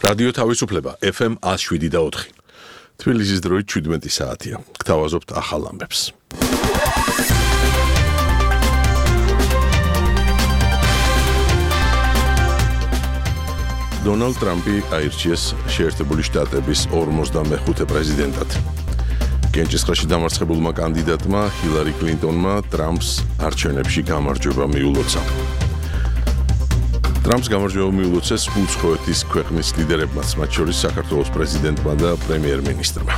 რადიო თავისუფლება FM 107.4. თბილისის დროით 17 საათია. გთავაზობთ ახალ ამბებს. დონალდ ტრამპი აირჩიეს შეერთებული შტატების 45 პრეზიდენტად. კენჭისყრაში დამარცხებულმა კანდიდატმა ჰილარი კლინტონმა ტრამპს არჩევნებში გამარჯვება მიულოცა. ტრამპს გამარჯვება მიულოცეს უცხოეთის ქვეყნის ლიდერებმაც, მათ შორის საქართველოს პრეზიდენტმა და პრემიერ-მინისტრმა.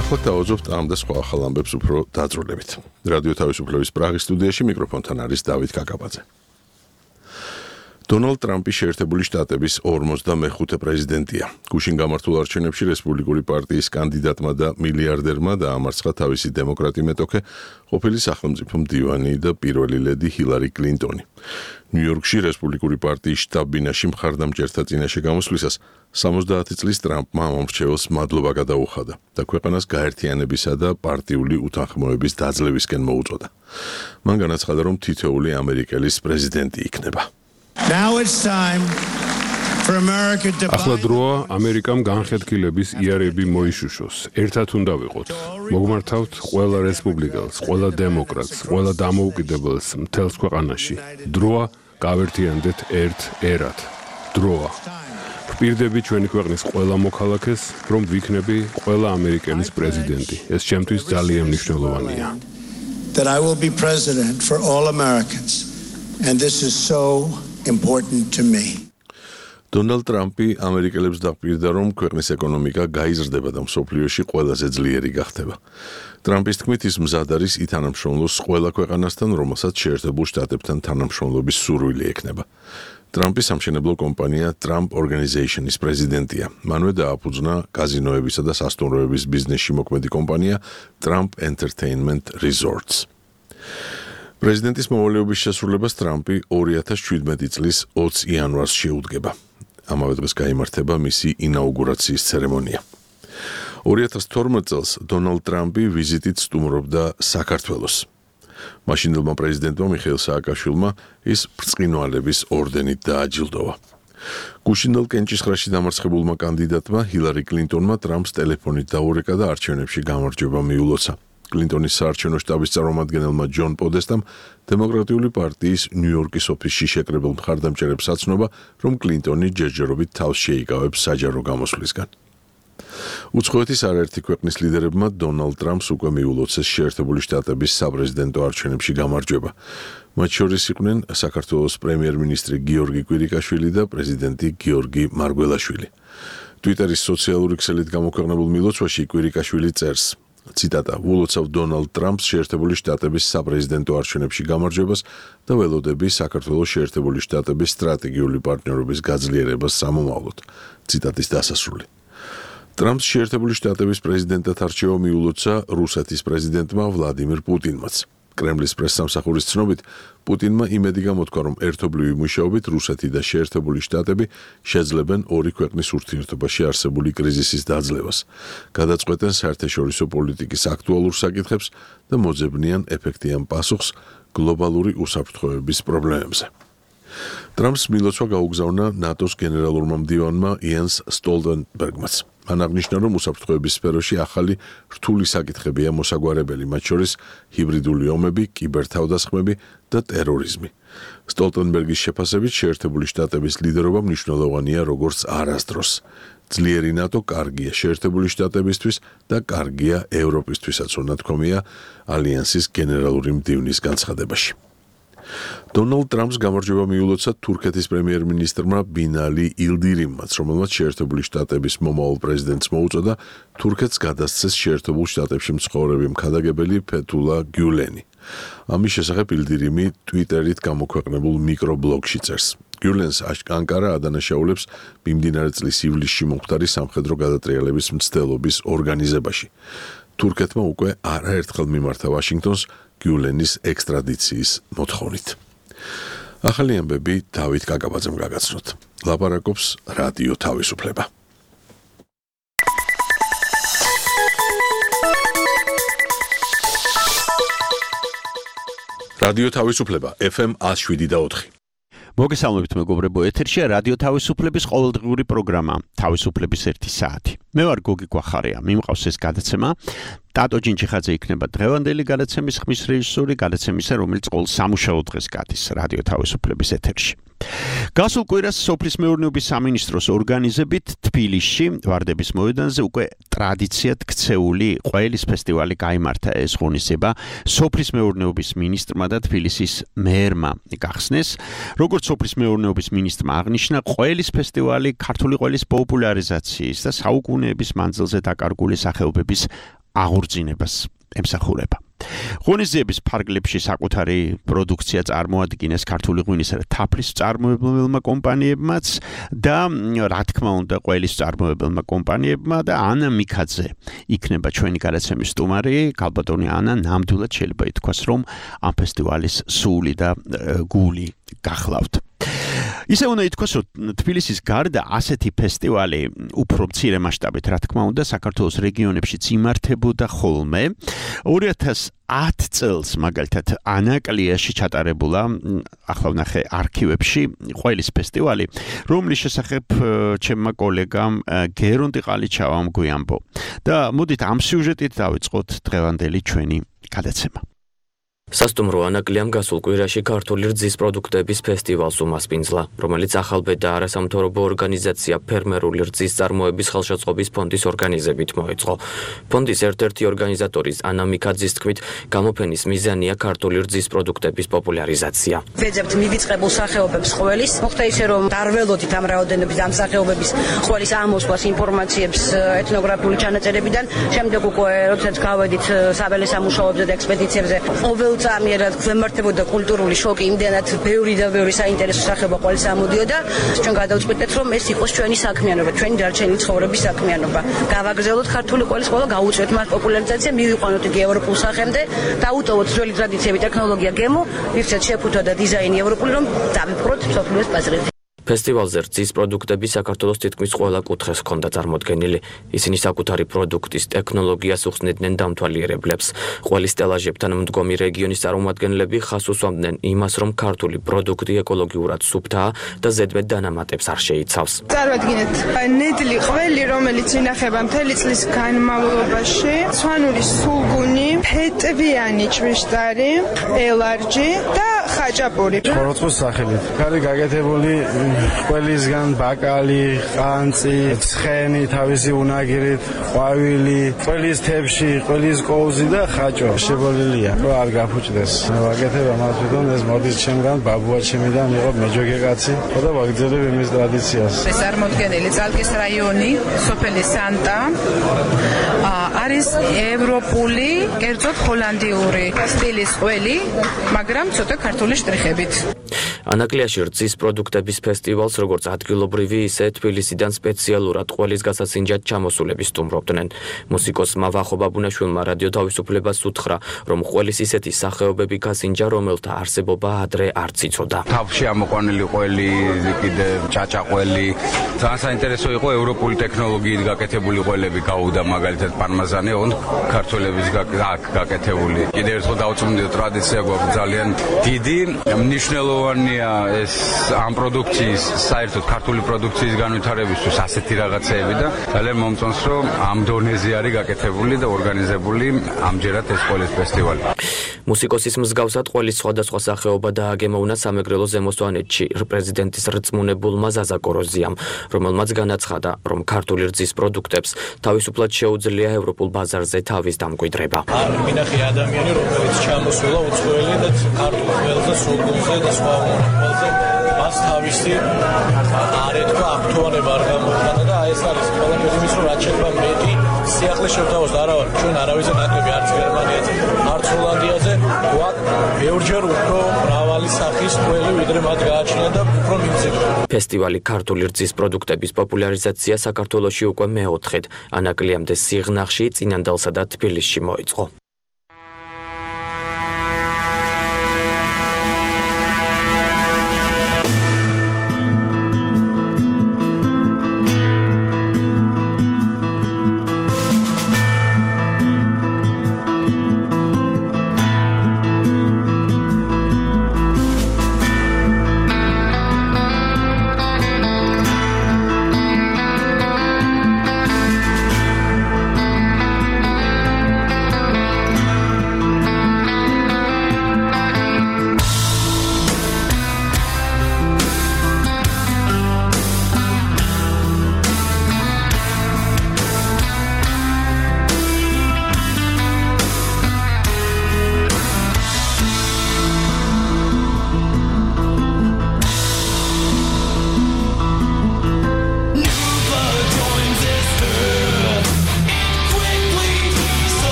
ახლა დავაძობთ ამ და სხვა ახალ ამბებს უფრო დაწვრილებით. რადიო თავისუფლების პრაღის სტუდიაში მიკროფონთან არის დავით კაკაბაძე. დონალდ ტრამპი შეერთებული შტატების 45 პრეზიდენტია. გუშინ გამართულ არჩევნებში რესპუბლიკური პარტიის კანდიდატმა და მილიარდერმა დაამარცხა თავისი დემოკრატი მეტოქე, ყოფილი სახელმწიფო მდივანი და პირველი ლედი ჰილარი კლინტონი. ნიუ-იორკში რესპუბლიკური პარტიის შტაბ-ბინაში მხარდამჭერთა წინაშე გამოსვლისას 70 წლის ტრამპმა მომრჩეველს მადლობა გადაუხადა და ქვეყანას გაერთიანებისა და პარტიული უთანხმოების დაძლევისკენ მოუწოდა. მან განაცხადა, რომ თითოეული ამერიკელის პრეზიდენტი იქნება. ახლა დროა ამერიკამ განხეთქილების იარები მოიშუშოს. ერთად უნდა ვიყოთ. მოგმართავთ ყველა რესპუბლიკელს, ყველა დემოკრატს, ყველა დამოუკიდებელს მთელს ქვეყანაში. დროა გავერთიანდეთ ერთ ერად. დროა. ვპირდები ჩვენი ქვეყნის ყველა მოქალაქეს, რომ ვიქნები ყველა ამერიკელის პრეზიდენტი. ეს ჩემთვის ძალიან მნიშვნელოვანია. That I will be president for all Americans. And this is so important to me. დონალდ ტრამპი ამერიკელებს დაპირდა, რომ ქვეყნის ეკონომიკა გაიზრდება და მსოფლიოში ყველაზე ძლიერი გახდება. ტრამპის თქმით, ის მზად არის ითანამშრომლოს ყველა ქვეყანასთან, რომელსაც შეერთებულ შტატებთან თანამშრომლობის სურვილი ექნება. ტრამპის სამშენებლო კომპანია Trump Organization-ის პრეზიდენტია. მანვე დააფუძნა კაზინოებისა და სასტუმროების ბიზნესში მოქმედი კომპანია Trump Entertainment Resorts. პრეზიდენტის მოვალეობის შესრულებას ტრამპი 2017 წლის 20 იანვარს შეუდგება. ამავე დღეს გაიმართება მისი ინაუგურაციის ცერემონია. 2012 წელს დონალდ ტრამპი ვიზიტით სტუმრობდა საქართველოს. მაშინდელმა პრეზიდენტმა მიხეილ სააკაშვილმა ის ბრწყინვალების ორდენით დააჯილდოვა. გუშინდელ კენჭისყრაში დამარცხებულმა კანდიდატმა ჰილარი კლინტონმა ტრამპს ტელეფონით დაურეკა და არჩევნებში გამარჯვება მიულოცა. კლინტონის საარჩევნო შტაბის წარმომადგენელმა ჯონ პოდესტამ დემოკრატიული პარტიის ნიუ-იორკის ოფისში შეკრებილ მხარდამჭერებს აცნობა, რომ კლინტონი ჯერჯერობით თავს შეიკავებს საჯარო გამოსვლისგან. უცხოეთის არაერთი ქვეყნის ლიდერებმა დონალდ ტრამპს უკვე მიულოცეს შეერთებული შტატების საპრეზიდენტო არჩევნებში გამარჯვება. მათ შორის იყვნენ საქართველოს პრემიერ-მინისტრი გიორგი კვირიკაშვილი და პრეზიდენტი გიორგი მარგველაშვილი. ტვიტერის სოციალური ქსელით გამოქვეყნებულ მილოცვაში კვირიკაშვილი წერს: ციტატა: "ულოცავ დონალდ ტრამპს შეერთებული შტატების საპრეზიდენტო არჩევნებში გამარჯვებას და ველოდები საქართველოს შეერთებული შტატების სტრატეგიული პარტნიორობის გაძლიერებას სამომავლოდ." ციტატის დასასრული. ტრამპს შეერთებული შტატების პრეზიდენტად არჩევა მიულოცა რუსეთის პრეზიდენტმა ვლადიმირ პუტინმაც. კრემლის პრესსამსახურის ცნობით, პუტინმა იმედი გამოთქვა, რომ ერთობლივი მუშაობით რუსეთი და შეერთებული შტატები შეძლებენ ორი ქვეყნის ურთიერთობაში არსებული კრიზისის დაძლევას, გადაწყვეტენ საერთაშორისო პოლიტიკის აქტუალურ საკითხებს და მოძებნიან ეფექტიან პასუხს გლობალური უსაფრთხოების პრობლემებზე. ტრამპს მილოცვა გაუგზავნა ნატოს გენერალურმა მდივანმა იენს სტოლტენბერგმაც. მან აღნიშნა, რომ უსაფრთხოების სფეროში ახალი რთული საკითხებია მოსაგვარებელი, მათ შორის ჰიბრიდული ომები, კიბერთავდასხმები და ტერორიზმი. სტოლტენბერგის შეფასებით, შეერთებული შტატების ლიდერობა მნიშვნელოვანია როგორც არასდროს. ძლიერი ნატო კარგია შეერთებული შტატებისთვის და კარგია ევროპისთვისაც, უნათქვამია ალიანსის გენერალური მდივნის განცხადებაში. დონალდ ტრამპს გამარჯვება მიულოცა თურქეთის პრემიერ-მინისტრმა ბინალი ილდირიმმაც, რომელმაც შეერთებული შტატების მომავალ პრეზიდენტს მოუწოდა თურქეთს გადასცეს შეერთებულ შტატებში მცხოვრები მხარდამჭერი ფეთულა გიულენი. ამის შესახებ ილდირიმი ტვიტერით გამოქვეყნებულ მიკრობლოგში წერს. გიულენს ანკარა ადანაშაულებს მიმდინარე წლის ივლისში მომხდარი სამხედრო გადატრიალების მცდელობის ორგანიზებაში. თურქეთმა უკვე არაერთხელ მიმართა ვაშინგტონს გიულენის ექსტრადიციის მოთხოვნით. ახალი ამბები დავით კაკაბაძემ გაგაცნოთ. ლაპარაკობს რადიო თავისუფლება. რადიო თავისუფლება FM 107.4. მოგესალმებით მეგობრებო, ეთერშია რადიო თავისუფლების ყოველდღიური პროგრამა თავისუფლების 1 საათი. მე ვარ გოგი გვახარია, მიმყავს ეს გადაცემა. ტატო ჯინჩიხაძე იქნება დღევანდელი გადაცემის ხმის რეჟისორი, გადაცემისა, რომელიც ყოველ სამუშაო დღეს გადის რადიო თავისუფლების ეთერში. გასულ კვირას სოფლის მეურნეობის სამინისტროს ორგანიზებით თბილისში ვარდების მოედანზე უკვე ტრადიციად ქცეული ყველის ფესტივალი გაიმართა. ეს ღონისძიება სოფლის მეურნეობის მინისტრმა და თბილისის მერმა გახსნეს. როგორც სოფლის მეურნეობის მინისტრმა აღნიშნა, ყველის ფესტივალი ქართული ყველის პოპულარიზაციის და საუკუნეების მანძილზე დაკარგული სახეობების აღორძინებას ემსახურება. ღონისძიების ფარგლებში საკუთარი პროდუქცია წარმოადგენს ქართული ღვინისა და თაფლის მწარმოებელმა კომპანიებმაც და რა თქმა უნდა ყველის მწარმოებელმა კომპანიებმა და ანა მიქაძე იქნება ჩვენი გადაცემის სტუმარი. ქალბატონი ანა ნამდვილად შეიძლება ითქვას, რომ ამ ფესტივალის სული და გული გახლავთ. ისე უნდა ითქვას, რომ თბილისის გარდა ასეთი ფესტივალი უფრო მცირე მასშტაბით, რა თქმა უნდა, საქართველოს რეგიონებშიც იმართებოდა ხოლმე. 2010 წელს მაგალითად ანაკლიაში ჩატარებულა, ახლა ვნახე არქივებში, ყველის ფესტივალი, რომლის შესახებ ჩემმა კოლეგამ გერონტი ყალიჩავამ გვიამბო. და მოდით ამ სიუჟეტით დავიწყოთ დღევანდელი ჩვენი გადაცემა. სასტუმრო ანაკლიამ გასულ კვირაში ქართული რძის პროდუქტების ფესტივალს უმასპინძლა, რომელიც ახალბედ და არასამთავრობო ორგანიზაცია ფერმერული რძის წარმოების ხელშეწყობის ფონდის ორგანიზებით მოეწყო. ფონდის ერთ-ერთი ორგანიზატორის ანა მიქაძის თქმით, გამოფენის მიზანია ქართული რძის პროდუქტების პოპულარიზაცია. ვეძებთ მივიწყებულ სახეობებს ყველის, მოხდა ისე რომ დარველოდით ამ რაოდენობის ამ სახეობების ყველის ამოსვლას ინფორმაციებს ეთნოგრაფიული ჩანაწერებიდან, შემდეგ უკვე როდესაც გავედით საველე სამუშაოებზე და ექსპედიციებზე, ამიერად გვემართებოდა კულტურული შოკი, იმდენად ბევრი და ბევრი საინტერესო სახეობა ყველს ამოდიოდა. ჩვენ გადავწყვეტეთ, რომ ეს იყოს ჩვენი საქმიანობა, ჩვენი დარჩენილი ცხოვრების საქმიანობა. გავაგრძელოთ ქართული ყველის ყველა, გაუწევთ მას პოპულარიზაცია, მივიყვანოთ იგი ევროპულ სახემდე, დაუტოვოთ ძველი ტრადიციები, ტექნოლოგია, გემო, ვირჩეთ შეფუთვა და დიზაინი ევროპული, რომ დავიფროთ მსოფლიოს ბაზრით. ფესტივალზე რძის პროდუქტები საქართველოს თითქმის ყველა კუთხეს ჰქონდა წარმოდგენილი. ისინი საკუთარი პროდუქტის ტექნოლოგიას უხსნიდნენ დამთვალიერებლებს. ყველის სტელაჟებთან მდგომი რეგიონის წარმომადგენლები ხაზს უსვამდნენ იმას, რომ ქართული პროდუქტი ეკოლოგიურად სუფთაა და ზედმეტ დანამატებს არ შეიცავს. წარვადგინეთ ნედლი ყველი, რომელიც ინახება მთელი წლის განმავლობაში, სვანური სულგუნი, ფეტვიანი ჭვიშტარი, ელარჯი და ხაჭაპური. ხოროწყოს სახელით. კარი გაკეთებული ყველისგან ბაკალი, ყანწი, ცხენი, თავისი უნაგირით, ყვავილი, ყველის თებში, ყველის კოუზი და ხაჭო შებოლილია. რომ არ გაფუჭდეს. ვაკეთებ ამას თვითონ ეს მოდის ჩემგან, ბაბუა ჩემიდან იყო მეჯოგი კაცი და ვაგრძელებ იმის ტრადიციას. ეს წარმოდგენილი ძალკის რაიონი, სოფელი სანტა არის ევროპული, კერძოდ ჰოლანდიური სტილის ყველი, მაგრამ ცოტა ქართული შტრიხებით. ანაკლიაში რძის პროდუქტების ფესტივალს როგორც ადგილობრივი, ისე თბილისიდან სპეციალურად ყველის გასაცინჯად ჩამოსულები სტუმრობდნენ. მუსიკოსმა ვახო ბაბუნაშვილმა რადიო თავისუფლებას უთხრა, რომ ყველის ისეთი სახეობები გასინჯა, რომელთა არსებობა ადრე არ იცოდა. თავში ამოყვანილი ყველი, კიდე ჭაჭაყველი, ძალიან საინტერესო იყო ევროპული ტექნოლოგიით გაკეთებული ყველები გაუდა, მაგალითად პარმაზანი, ოღონდ ქართველების გაკეთებული. კიდევ ერთხელ დავწუნდი, ტრადიცია გვაქვს ძალიან დიდი, მნიშვნელოვანია ეს ამ პროდუქციის, საერთოდ ქართული პროდუქციის განვითარებისთვის ასეთი რაღაცეები და ძალიან მომწონს, რომ ამ დონეზე არის გაკეთებული და ორგანიზებული ამჯერად ეს ყველის ფესტივალი. მუსიკოსის მსგავსად ყველის სხვადასხვა სახეობა დააგემოვნა სამეგრელო ზემოსვანეთში პრეზიდენტის რწმუნებულმა ზაზა კოროზიამ, რომელმაც განაცხადა, რომ ქართული რძის პროდუქტებს თავისუფლად შეუძლია ევროპულ ბაზარზე თავის დამკვიდრება. არ მინახე ადამიანი, რომელიც ჩამოსულა უცხოელი და ქართულ ყველზე, სულგუნზე და სხვა ყველზე მას თავისი არ ეთქვა აქტუალება არ გამოხატა და ეს არის ყველაფერი ის, რომ რაც შეიძლება მეტი სიახლე შევთავაზოთ, არა ჩვენ არავის ნაკლები არც გერმანიაზე, არც ჰოლანდიაზე, გვაქვს ბევრჯერ უფრო მრავალი სახის ყველი, ვიდრე მათ გააჩნია და უფრო მიმზიდველი. ფესტივალი ქართული რძის პროდუქტების პოპულარიზაცია საქართველოში უკვე მეოთხედ, ანაკლიამდე სიღნაღში, წინანდალსა და თბილისში მოეწყო.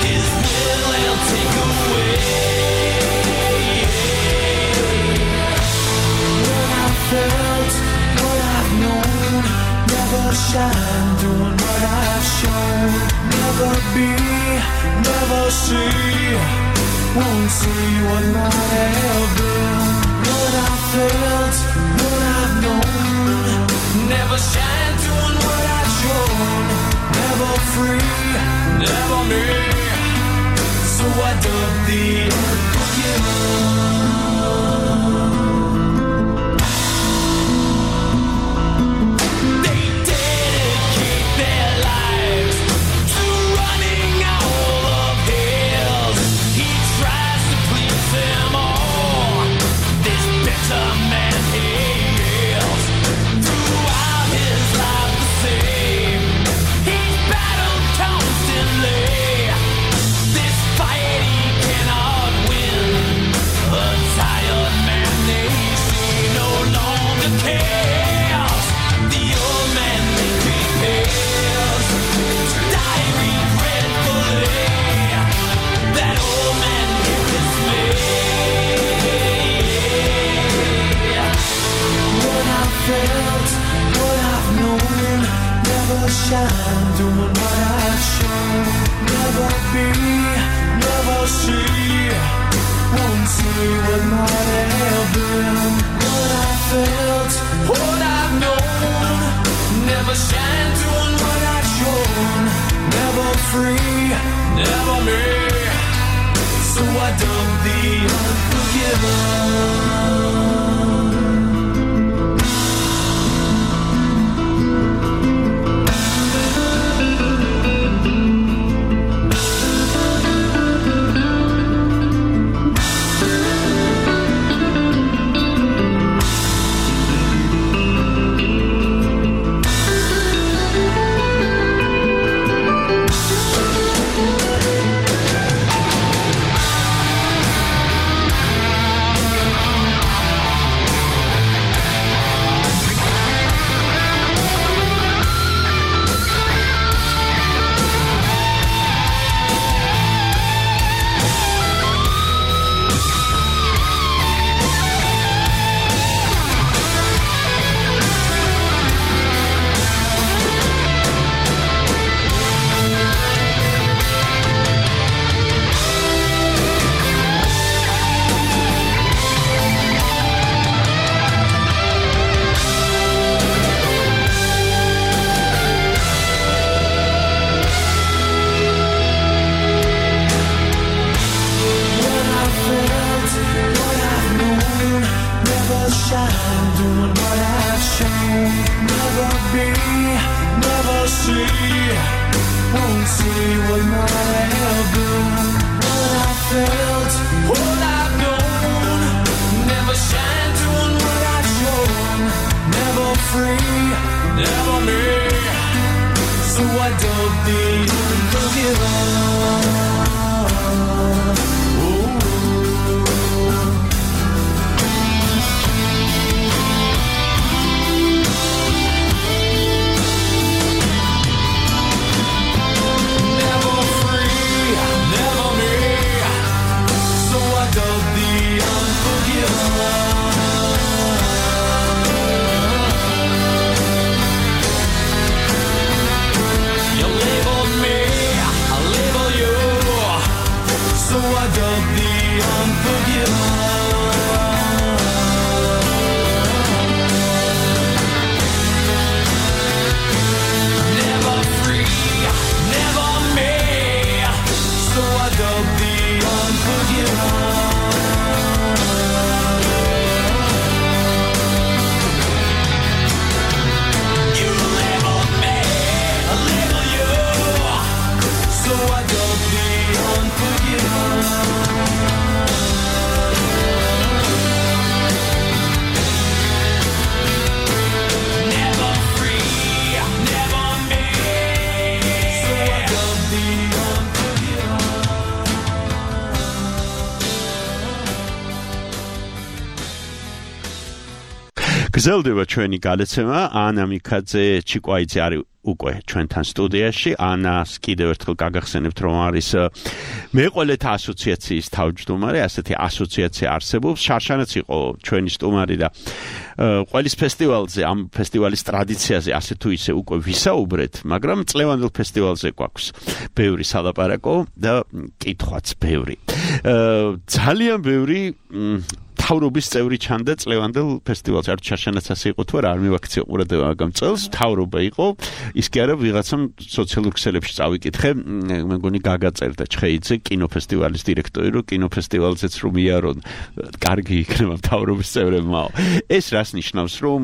His will he'll take away. When I felt what I've known, never shine doing what I've shown. Never be, never see, won't see what might have been. What I felt, what I've known, never shine doing what I've shown. Never free, never me, so I dug the unforgiven. Shine doing what I've shown. Never be, never see, won't see what might have been. What I felt, what I've known, never shine doing what I've shown. Never free, never me, so I dug the unforgiven. So I გრძელდება ჩვენი გადაცემა ანა მიქაძე ჩიკვაიძე არის უკვე ჩვენთან სტუდიაში ანას კიდევ ერთხელ გაგახსენებთ რომ არის მეყოლეთა ასოციაციის თავმჯდომარე ასეთი ასოციაცია არსებობს შარშანაც იყო ჩვენი სტუმარი და ყველის ფესტივალზე ამ ფესტივალის ტრადიციაზე ასე თუ ისე უკვე ვისაუბრეთ მაგრამ წლევანდელ ფესტივალზე გვაქვს ბევრი სალაპარაკო და კითხვაც ბევრი ძალიან ბევრი თავრობის წევრი ჩანდა წლევანდელ ფესტივალზე. არ ჩაშანაც ასე იყო თუ არა, არ მივაქციე ყურადღება მაგამ წელს, თავრობა იყო. ის კი არა ვიღაცამ სოციალურ ქსელებში წავიკითხე, მე მგონი გაგაწერდა ჩხეიძე კინოფესტივალის დირექტორი, რომ კინოფესტივალზეც რომ იარონ, კარგი იქნება თავრობის წევრებმა. ეს რას ნიშნავს, რომ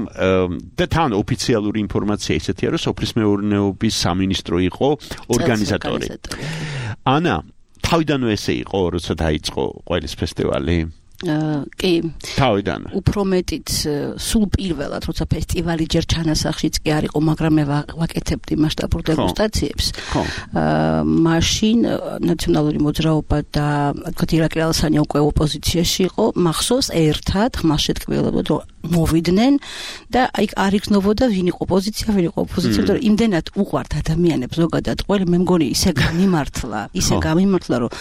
და თან ოფიციალური ინფორმაცია ისეთია, რომ სოფლის მეურნეობის სამინისტრო იყო ორგანიზატორი. ანა, თავიდანვე ესე იყო, როცა დაიწყო ყველის ფესტივალი? კი თავიდან უფრო მეტიც სულ პირველად როცა ფესტივალი ჯერ ჩანასახშიც კი არ იყო მაგრამ მე ვაკეთებდი მასშტაბურ დეგუსტაციებს მაშინ ნაციონალური მოძრაობა და თქვათ ირაკლი ალასანი უკვე ოპოზიციაში იყო მახსოვს ერთად ხმასშეტკბილებოდ რომ მოვიდნენ და აი არ იქნებოდა ვინ იყო პოზიცია ვინ იყო ოპოზიცია და იმდენად უყვართ ადამიანებს ზოგადად ყველი მე მგონი ისე გამიმართლა რომ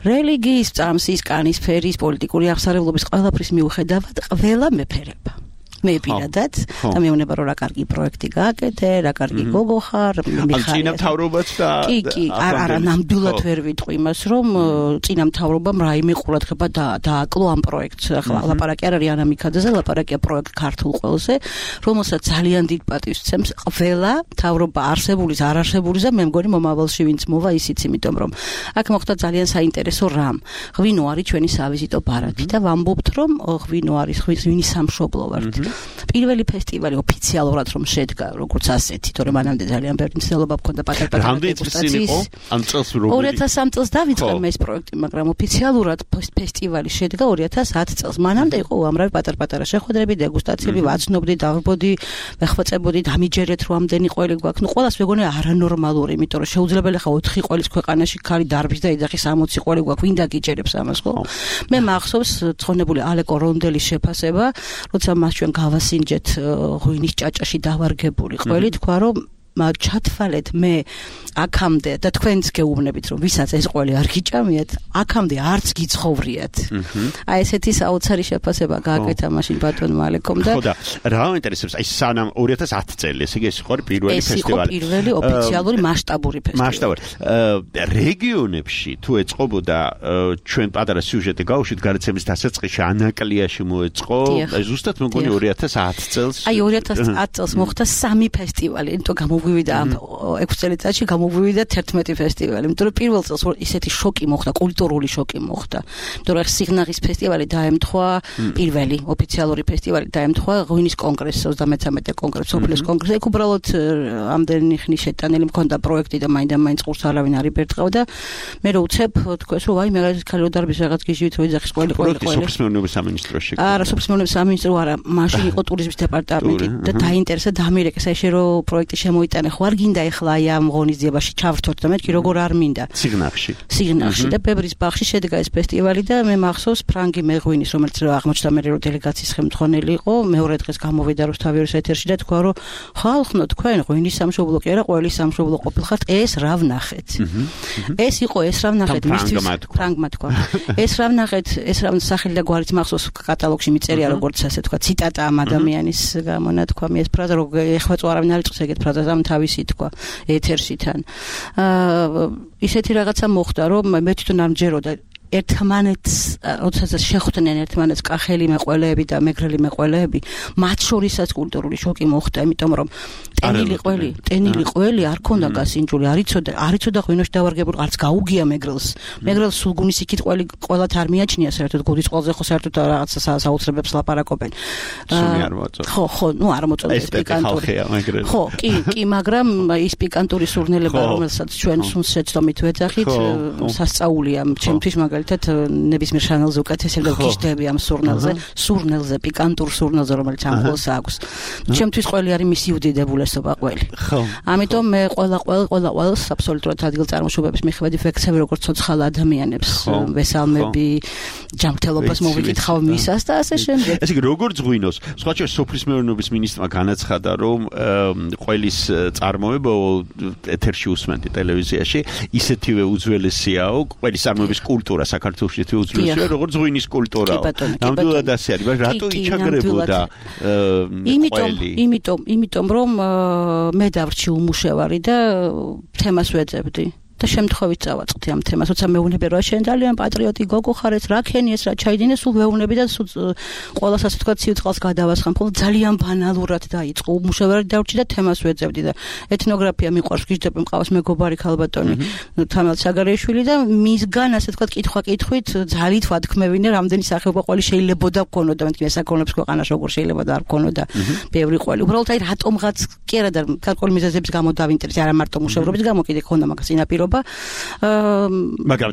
რელიგიის წამსის კანის ფერის პოლიტიკური აღსარებლობის ყველაფრის მიუხედავად ყველა მეფერება მე პირადად და მეუბნება რომ რა კარგი პროექტი გააკეთე, რა კარგი გოგო ხარ, მიხარ. წინა მთავრობაც და კი, არა, ნამდვილად ვერ ვიტყვი იმას, რომ წინა მთავრობამ რაიმე ყურადღება დააკლო ამ პროექტს. ახლა ლაპარაკი არ არის ანა მიქაძეზე, ლაპარაკია პროექტ ქართულ ყველზე, რომელსაც ძალიან დიდ პატივს სცემს ყველა მთავრობა არსებულის, არ არსებულის და მე მგონი მომავალში ვინც მოვა ისიც, იმიტომ რომ აქ მოხდა ძალიან საინტერესო რამ. ღვინო არის ჩვენი სავიზიტო ბარათი და ვამბობთ რომ ღვინო არის ღვინის სამშობლო ვართ. პირველი ფესტივალი ოფიციალურად რომ შედგა როგორც ასეთი, თორემ მანამდე ძალიან ბევრი მცდელობა მქონდა პატარ-პატარა დეგუსტაციის. ამ წელს 2003 წელს დავიწყე მე ეს პროექტი, მაგრამ ოფიციალურად ფესტივალი შედგა 2010 წელს. მანამდე იყო უამრავი პატარ-პატარა შეხვედრები, დეგუსტაციები, ვაცნობდი, დავბოდი, ვეხმაწებოდი, დამიჯერეთ რომ ამდენი ყველი გვაქვს. ნუ ყველას მეგონი არანორმალური, იმიტომ რომ შეუძლებელი ხა 4 ყველის ქვეყანაში ქალი დარბის და იძახის 60 ყველი გვაქვს, ვინ დაგიჯერებს ამას, ხო? მე მახსოვს ცხონებული ალეკო რონდელის შეფასება, როცა მას ჩვენ გავასინჯეთ ღვინის ჭაჭაში დავარგებული ყველი თქვა რომ ჩათვალეთ მე აქამდე და თქვენც გეუბნებით რომ ვისაც ეს ყველი არ გიჭამიათ აქამდე არც გიცხოვრიათ აი ესეთი საოცარი შეფასება გააკეთა მაშინ ბატონმა ალეკომ და ხო და რა ინტერესებს აი სანამ 2010 წელი ესე იგი ეს იყო პირველი ფესტივალი ეს იყო პირველი ოფიციალური მასშტაბური ფესტივალი რეგიონებში თუ ეწყობოდა ჩვენ პატარა სიუჟეტი გავუშვით გარაცემის დასაწყისში ანაკლიაში მოეწყო ზუსტად მეგონი 2010 წელს აი 2010 წელს მოხდა 3 ფესტივალი იმიტომ გამოვივიდა 6 წელიწადში გამოვივიდა 11 ფესტივალი იმიტომ რომ პირველ წელს ისეთი შოკი მოხდა კულტურული შოკი მოხდა იმიტომ რომ სიგნალის ფესტივალი დაემთხვა პირველი ოფიციალური ფესტივალი დაემთხვა ღვინის კონგრესს 33 კონგრესს ოფლის კონგრესს ეგ უბრალოდ ამდენი ხნის შეტანილი მქონდა პროექტი და მაინდა-მაინც ყურს არავინ არ იბერტყავდა მე რო უცებ თქვენს რომ აი მე ქალიო დარბის რაღაც გიჟივით რო იძახის ყველი სოფლის მეურნეობის სამინისტროში არა სოფლის მეურნეობის სამინისტრო არა მაშინ იყო ტურიზმის დეპარტამენტი და დაინტერესა დამირეკეს აი შე რო პროექტი შემოიტანე ხო არ გინდა ეხლა აი ამ ღონისძიებაში ჩავრთოთ და მეთქი როგორ არ მინდა სიგნახში და ბევრის ბაღში შედგა ეს ფესტივალი და მე მახსოვს ფრანგი მეღვინის რომელიც რო აღმოჩნდა მე რო დელეგაციის ხელმძღვანელი იყო მეორე დღეს გამოვიდა რუსთავის ეთერში და თქვა რომ ხალხო თქვენ ღვინის სამშობლო კი არა ყველის სამშობლო ყოფილხართ ეს რა ვნახეთ ეს იყო ეს რა ვნახეთ მისთვის ფრანგმა თქვა ეს რა ვნახეთ ეს რა სახელი და გვარიც მახსოვს კატალოგში მიწერია როგორც ასე თქვა ციტატა ამ ადამიანის გამონათქვამი ეს ფრაზა რო ეხლა არავინ არ იწყს ეგეთ ფრაზას ამ თავისი თქვა ეთერში თან ისეთი რაღაცა მოხდა რომ მე თვითონ არ მჯეროდა ერთმანეთს როდესაც შეხვდნენ ერთმანეთს კახელი მეყველეები და მეგრელი მეყველეები მათ შორისაც კულტურული შოკი მოხდა იმიტომ რომ ტენილი ყველი არ ქონდა გასინჯული არ იცოდა ღვინოში დავარგებული არც გაუგია მეგრელს სულგუნის იქით ყველათ არ მიაჩნია საერთოდ გუდის ყველაზე ხო საერთოდ რაღაცა საოცრებებს ლაპარაკობენ ხო ნუ არ მოწონდა ეს პიკანტური ხო კი მაგრამ ის პიკანტური სურნელება რომელსაც ჩვენ სუნს შეცდომით ვეძახით სასწაულია ჩემთვის მაგალითად ნებისმიერ შანელზე უკეთესია გიждები ამ სურნელზე პიკანტურ სურნელზე რომელიც ამ ყოველს აქვს ჩემთვის ყველი არის მისი უდიდებულესი უმრავლესობა ყველი. ამიტომ მე ყველას აბსოლუტურად ადგილწარმოშობების მიხედვით ვექცევი როგორც ცოცხალ ადამიანებს, ვესალმები, ჯანმრთელობას მოვიკითხავ მისას და ასე შემდეგ. ესე იგი როგორ ზღვინოს? სხვა შორის სოფლის მეურნეობის მინისტრმა განაცხადა, რომ ყველის წარმოება ეთერში უსმენთ ტელევიზიაში ისეთივე უძველესიაო, ყველის წარმოების კულტურა საქართველოში ისეთივე უძველესია, როგორც ზღვინის კულტურაა. ნამდვილად ასე არის, მაგრამ რატო იჩაგრებოდა იმიტომ რომ მე დავრჩი უმუშევარი და თემას ვეძებდი. და შემთხვევით წავაწყდი ამ თემას, როცა მეუბნები რომ შენ ძალიან პატრიოტი გოგო ხარ, ეს რა ქენიეს, რა ჩაიდინე, სულ მეუბნები და სულ ყოველას ასე თქვა ციუწყალს გადავასხამ, ხოლმე ძალიან ბანალურად დაიწყო. უმუშევარი დავრჩი და თემას ვეძებდი და ეთნოგრაფია მიყვარს, გიждები მყავს მეგობარი ქალბატონი თამარ საგარეიშვილი და მისგან ასე თქვა კითხვა-კითხვით ძალით ვათქმევინე, რამდენი სახეობა ყველი შეიძლებოდა გქონოდა, მეთქი ესაკონებს ქვეყანას როგორ შეიძლება და არ გქონოდა ბევრი ყველი. უბრალოდ აი რატომღაც კი არა და გარკვეული მიზეზების გამო დავინტერესდი, არა მარტო მუშავრობის გამო, კიდე ქონდა მაგას წინაპირობა. მაგრამ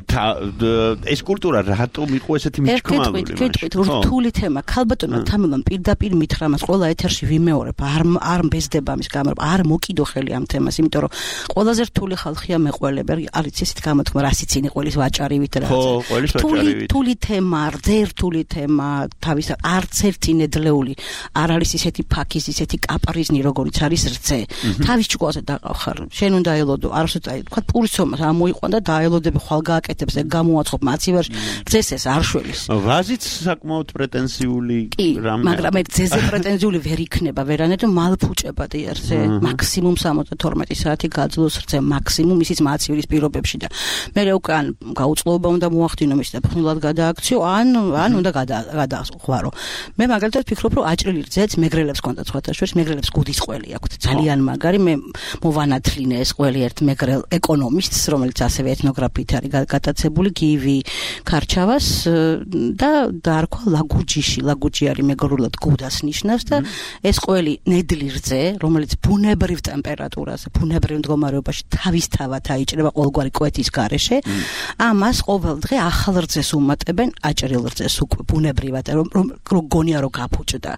ეს კულტურა რატომ იყო ესეთი მიჩქმალური? კითხეთ, რთული თემა. ქალბატონმა თამილამ პირდაპირ მითხრა მას ყველა ეთერში ვიმეორებ, არ მბეზდება ამის გამო, არ მოკიდო ხელი ამ თემას, იმიტომ რომ ყველაზე რთული ხალხია მეყველები, არის ისეთ გამოთქმა, რასიც ინი ყოლის ვაჭარივით რა. რთული თემა, რთული თემა, თავის არც ერთი ნედლეული არ არის ისეთი ფაქის, ისეთი კაპრიზნი, როგორიც არის რძე. თავის ჭკუაზე დაყავხარ. შენ უნდა ელოდო, არასოდეს აი თქვა პურის ამოიყვან და დაელოდები ხვალ გააკეთებს ეგ გამოაცხობ მაცივარში ძეს ეს არ შველის ვაზიც საკმაოდ პრეტენზიული რამე მაგრამ მე ძეზე პრეტენზიული ვერ იქნება ვერანაირად მალფუჭება დიარზე მაქსიმუმ 72 საათი გაძლოს რძე მაქსიმუმ ისიც მაცივრის პირობებში და მე უკვე ან გაუწყლობა უნდა მოახდინო მის და ფხნულად გადააქციო ან უნდა გადაახვარო მე მაგალითად ფიქრობ რომ აჭრილი რძეც მეგრელებს კონდა სხვათა შორის მეგრელებს გუდის ყველი აქვთ ძალიან მაგარი მე მოვანათლინე ეს ყველი ერთ მეგრელ ეკონომისტს რომელიც ასევე ეთნოგრაფიით არის გატაცებული გივი ქარჩავას და დაარქვა ლაგუჯი არის მეგრულად გუდას ნიშნავს და ეს ყველი ნედლი რძე რომელიც ბუნებრივ ტემპერატურაზე ბუნებრივ მდგომარეობაში თავისთავად აიჭრება ყოველგვარი კვეთის გარეშე ამას ყოველ დღე ახალ რძეს უმატებენ აჭრილ რძეს უკვე ბუნებრივად რომ გონია რომ გაფუჭდა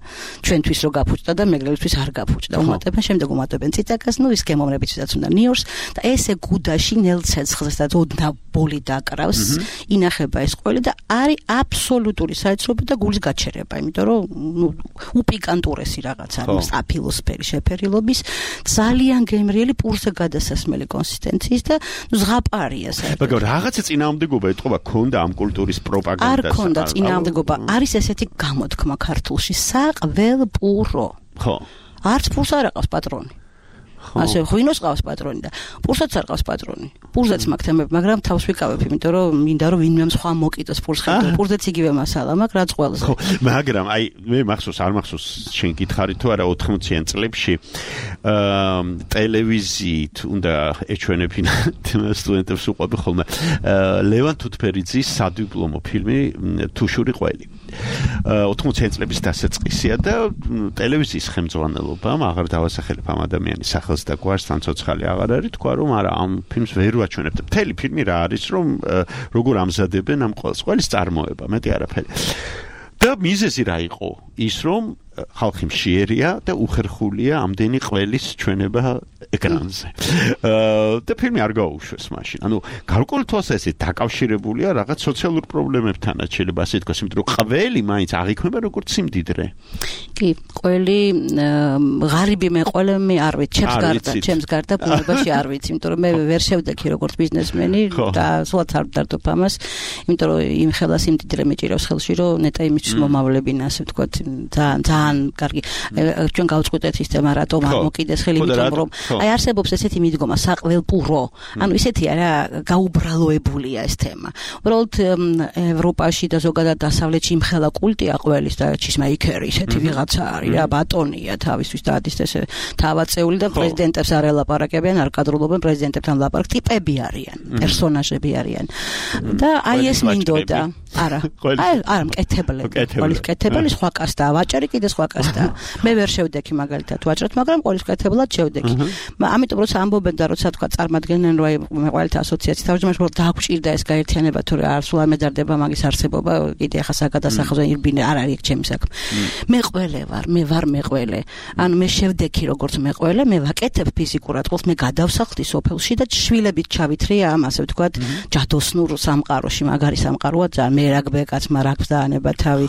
ჩვენთვის რომ გაფუჭდა და მეგრელისთვის არ გაფუჭდა უმატებენ შემდეგ უმატებენ ციტაკას ნუ ის გემოვნებითაც უნდა ნიორს და ესე გუდაში ნელცეცხლს და ოდნა ბოლი დაკრავს ინახება ეს ყველი და არის აბსოლუტური საეცრობა და გულის გაჩერება იმიტომ რომ უპიკანტურესი რაღაც არის აფილოსფერი შეფერილობის ძალიან გემრიელი პურზე გადასასმელი კონსისტენციის და ზღაპარია საერთოდ მაგრამ რაღაცა წინააღმდეგობა ეთყობა ქონდა ამ კულტურის პროპაგანდას არ ქონდა წინააღმდეგობა არის ესეთი გამოთქმა ქართულში საყველპურო ხო არც პურს არ აყავს პატრონი ასე ღვინოს ყავს პატრონი და პურსაც არ ყავს პატრონი. პურზეც მაქვს თემები, მაგრამ თავს ვიკავებ, იმიტომ რომ მინდა რომ ვინმე სხვა მოკიდოს პურს ხედავ. პურზეც იგივე მასალა მაქვს, რაც ყველას. ხო, მაგრამ აი მე მახსოვს, არ მახსოვს შენ გითხარი თუ არა 80-იან წლებში ტელევიზიით უნდა ეჩვენებინა სტუდენტებს უყვები ხოლმე ლევან თუთფერიძის სადიპლომო ფილმი თუშური ყველი. 80-იან წლების დასაწყისია და ტელევიზიის ხელმძღვანელობამ აღარ დავასახელებ ამ ადამიანის სახელს და გვარს თან ცოცხალი აღარ არის თქვა რომ არა ამ ფილმს ვერ ვაჩვენებთ. მთელი ფილმი რა არის რომ როგორ ამზადებენ ამ ყველის წარმოება, მეტი არაფერი. და მიზეზი რა იყო? ის რომ ხალხი მშიერია და უხერხულია ამდენი ყველის ჩვენება ეკრანზე. და ფილმი არ გაუშვეს მაშინ. ანუ გარკვეულ თვალსაზრისით დაკავშირებულია რაღაც სოციალურ პრობლემებთანაც შეიძლება ასე თქვას, იმიტომ რომ ყველი მაინც აღიქმება როგორც სიმდიდრე. კი, ყველი ღარიბი მე ყველე მე არ ვიცი, ჩემს გარდა ბუნებაში არ ვიცი, იმიტომ რომ მე ვერ შევდექი როგორც ბიზნესმენი და სულაც არ ვდარდობ ამას, იმიტომ რომ იმ ხელა სიმდიდრე მეჭირავს ხელში, რომ ნეტა იმისთვის მომავლებინა, ასე ვთქვათ, ძალიან კარგი ჩვენ გავწყვეტეთ ის თემა რატომ არ მოკიდეს ხელი იმიტომ რომ აი არსებობს ესეთი მიდგომა საყველპურო ანუ ისეთი არა გაუბრალოებულია ეს თემა უბრალოდ ევროპაში და ზოგადად დასავლეთში იმხელა კულტია ყველის და ჩისმეიკერი ესეთი ვიღაცა არის რა ბატონია თავისთვის და ადის ესე თავაწეული და პრეზიდენტებს არ ელაპარაკებიან არ კადრულობენ პრეზიდენტებთან ლაპარაკ ტიპები არიან პერსონაჟები არიან და აი ეს მინდოდა არა. არა, მკეთებელი. ყოლის მკეთებელი სხვა კასტაა, ვაჭარი კიდე სხვა კასტაა. მე ვერ შევდექი მაგალითად ვაჭრად, მაგრამ ყოლის მკეთებლად შევდექი. ამიტომ როცა ამბობენ და როცა თქვა წარმოადგენენ რომ აი მეყვალეთა ასოციაციის თავმჯდომარე რომ დაგვჭირდა ეს გაერთიანება თუ რა სულ არ მედარდება მაგის არსებობა კიდე ახლა საგადასახადო ირბინე არ არის ჩემი საქმე. მე ვარ მეყველე. ანუ მე შევდექი როგორც მეყველე, მე ვაკეთებ ფიზიკურად ყოველს მე გადავსახლდი სოფელში და შვილებით ჩავითრია ამ ასე ვთქვათ ჯადოსნურ სამყაროში, მაგარი სამყაროა ძალიან მე რაგბეკაცმა რაგბს დაანება თავი.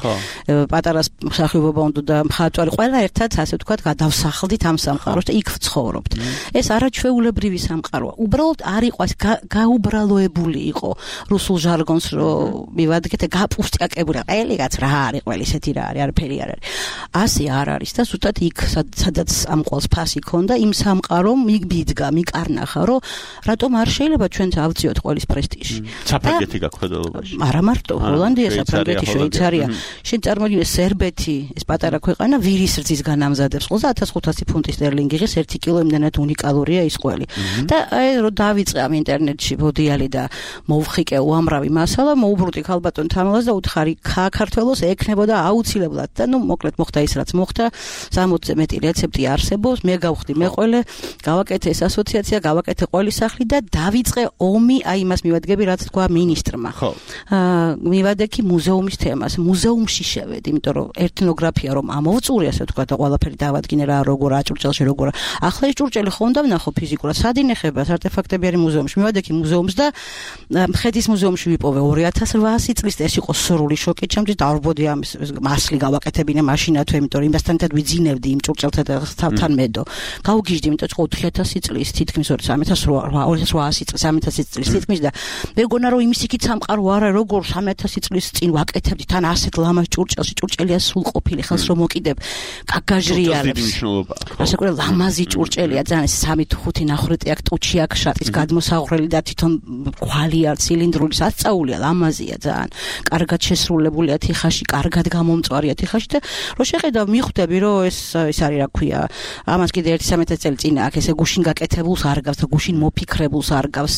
პატარა მსახიობობა უნდა და მხატვარი ყველა ერთად ასე ვთქვათ გადავსახლდით ამ სამყაროში და იქ ვცხოვრობთ. ეს არაჩვეულებრივი სამყაროა. უბრალოდ არ იყო ეს გაუბრალოებული იყო რუსულ ჟარგონს რომ მივადგეთ გაპუსტიაკებული. ყველიღაც რა არის ყველ ისეთი რა არის არაფერი არ არის. ასე არ არის და ზუსტად იქ სადაც ამ ყოველს ფასი ქონდა იმ სამყარომ მიგბიდგა მიკარნახა რომ რატომ არ შეიძლება ჩვენც ავწიოთ ყოველის პრესტიჟი. საფრანგეთი გაქვედელობაში. არა მარტო ჰოლანდია, საფრანგეთი, შვეიცარია. შენ წარმოიდგინე სერბეთი, ეს პატარა ქვეყანა ვირის რძის განამზადებს ყოლს 1500 ფუნტი სტერლინგი ღირს 1 კილო იმდანაც უნიკალურია ის ყველი. და აი რომ დავიწყე ამ ინტერნეტში ბოდიალი და მოვხიკე უამრავი მასალა, მოუბრუნდი ქალბატონ თამილას და უთხარი საქართველოს ექნებოდა აუცილებლად და ნუ მოკლედ მოხდა ის რაც მოხდა 60-ზე მეტი რეცეპტი არსებობს, მე გავხდი მეყველე, გავაკეთე ეს ასოციაცია, გავაკეთე ყოველი სახლი და დავიწყე ომი, აი იმას მივადგები რაც თქვა მინისტრმა. ხო. მივადექი მუზეუმის თემას, მუზეუმში შევედი, იმიტომ რომ ეთნოგრაფია რომ ამოვწური ასე თქვა და ყველაფერი დავადგინე რა როგორ აჭურჭელში როგორ. ახლა ეს ჭურჭელი ხომ დავნახო ფიზიკურად, სად ინახება არტეფაქტები არის მუზეუმში. მივადექი მუზეუმს და მხედრის მუზეუმში ვიპოვე 2800 წლის ეს იყო სრული შოკი ჩემთვის და არბოდი ამის მასლი გავაკეთებინე მაშინათვე, იმიტომ რომ იმასთან ერთად ვიძინებდი იმ ჭურჭელთან და თავთან მედო. გავგიჟდი, იმიტომ რომ 4000 წლის თითქმის 2800 წლის 3000 წლის თითქმის და მე გონა რომ იმის იქით სამყარო არა როგორ 3000 წლის წინ ვაკეთებდი თან ასეთ ლამაზ ჭურჭელში ჭურჭელია სულ ყოფილი ხელს რომ მოკიდებ კაკაჟრიალებს ასე ყურე ლამაზი ჭურჭელია ძალიან 3-5 ნახრეტი აქ ტუჩი აქ შატის გადმოსაღვრელი და თვითონ ქვალი არ ცილინდრული სასწაულია ლამაზია ძალიან კარგად შესრულებულია თიხაში კარგად გამომწვარია თიხაში და რო შეხედავ მიხვდები რომ ეს არის რა ქვია ამას კიდე 1-13 წელი წინ აქ ესე გუშინ გაკეთებულს არ გავს და გუშინ მოფიქრებულს არ გავს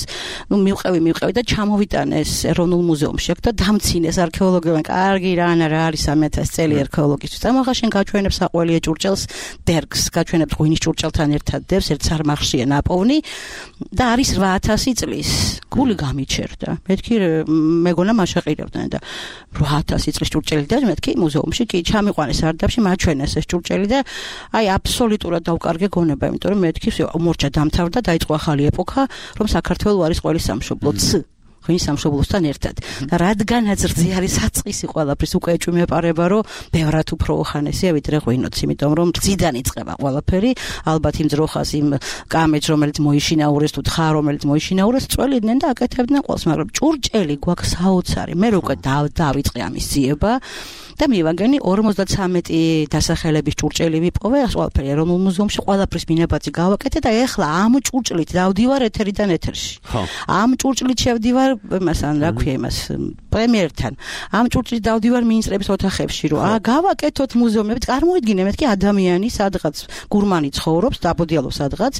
ნუ მივყევი და ჩამოვიტანე ეს ეროვნულ მუზეუმში აქ და დამცინეს არქეოლოგებმა კარგი რა არის 3000 წელი არქეოლოგისთვის და მაგა შენ გაჩვენებს საყველია ჭურჭელს დერგს გაჩვენებს ღვინის ჭურჭელთან ერთად დევს ერთ სარმახშია ნაპოვნი და არის 8000 წლის გული გამიჩერდა მეთქი მეგონა მაშაყირებდნენ და 8000 წლის ჭურჭელი და მეთქი მუზეუმში კი ჩამიყვანეს სარდაფში მაჩვენეს ეს ჭურჭელი და აი აბსოლუტურად დავკარგე გონება იმიტომ რომ მეთქი მორჩა დამთავრდა დაიწყო ახალი ეპოქა რომ საქართველოს არის ყველის სამშობლო ღვინის სამშობლოსთან ერთად და რადგანაც რძე არის საწყისი ყველაფრის უკვე ეჭვმეპარება რომ ბევრად უფრო ხანესია ვიდრე ღვინოც იმიტომ რომ რძიდან იწყება ყველაფერი ალბათ იმ ძროხას იმ კამეჯს რომელიც მოიშინაურეს თუ თხა რომელიც მოიშინაურეს წველიდნენ და აკეთებდნენ ყველს მაგრამ ჭურჭელი გვაქვს საოცარი მე უკვე დავიწყე ამის ძიება და მივაგენი 53 დასახელების ჭურჭელი ვიპოვე ყველაფერი ეროვნულ მუზეუმში ყველაფრის მინებაძი გავაკეთე და ეხლა ამ ჭურჭლით დავდივარ ეთერიდან ეთერში ამ ჭურჭლით შევდივარ მასან რა ქვია იმას პრემიერთან ამ ჭურჭლით დავდივარ მინისტრების ოთახებში რომ გავაკეთოთ მუზეუმები წარმოიდგინე მეთქი ადამიანი სადღაც გურმანი ცხოვრობს დაბოდიალობს სადღაც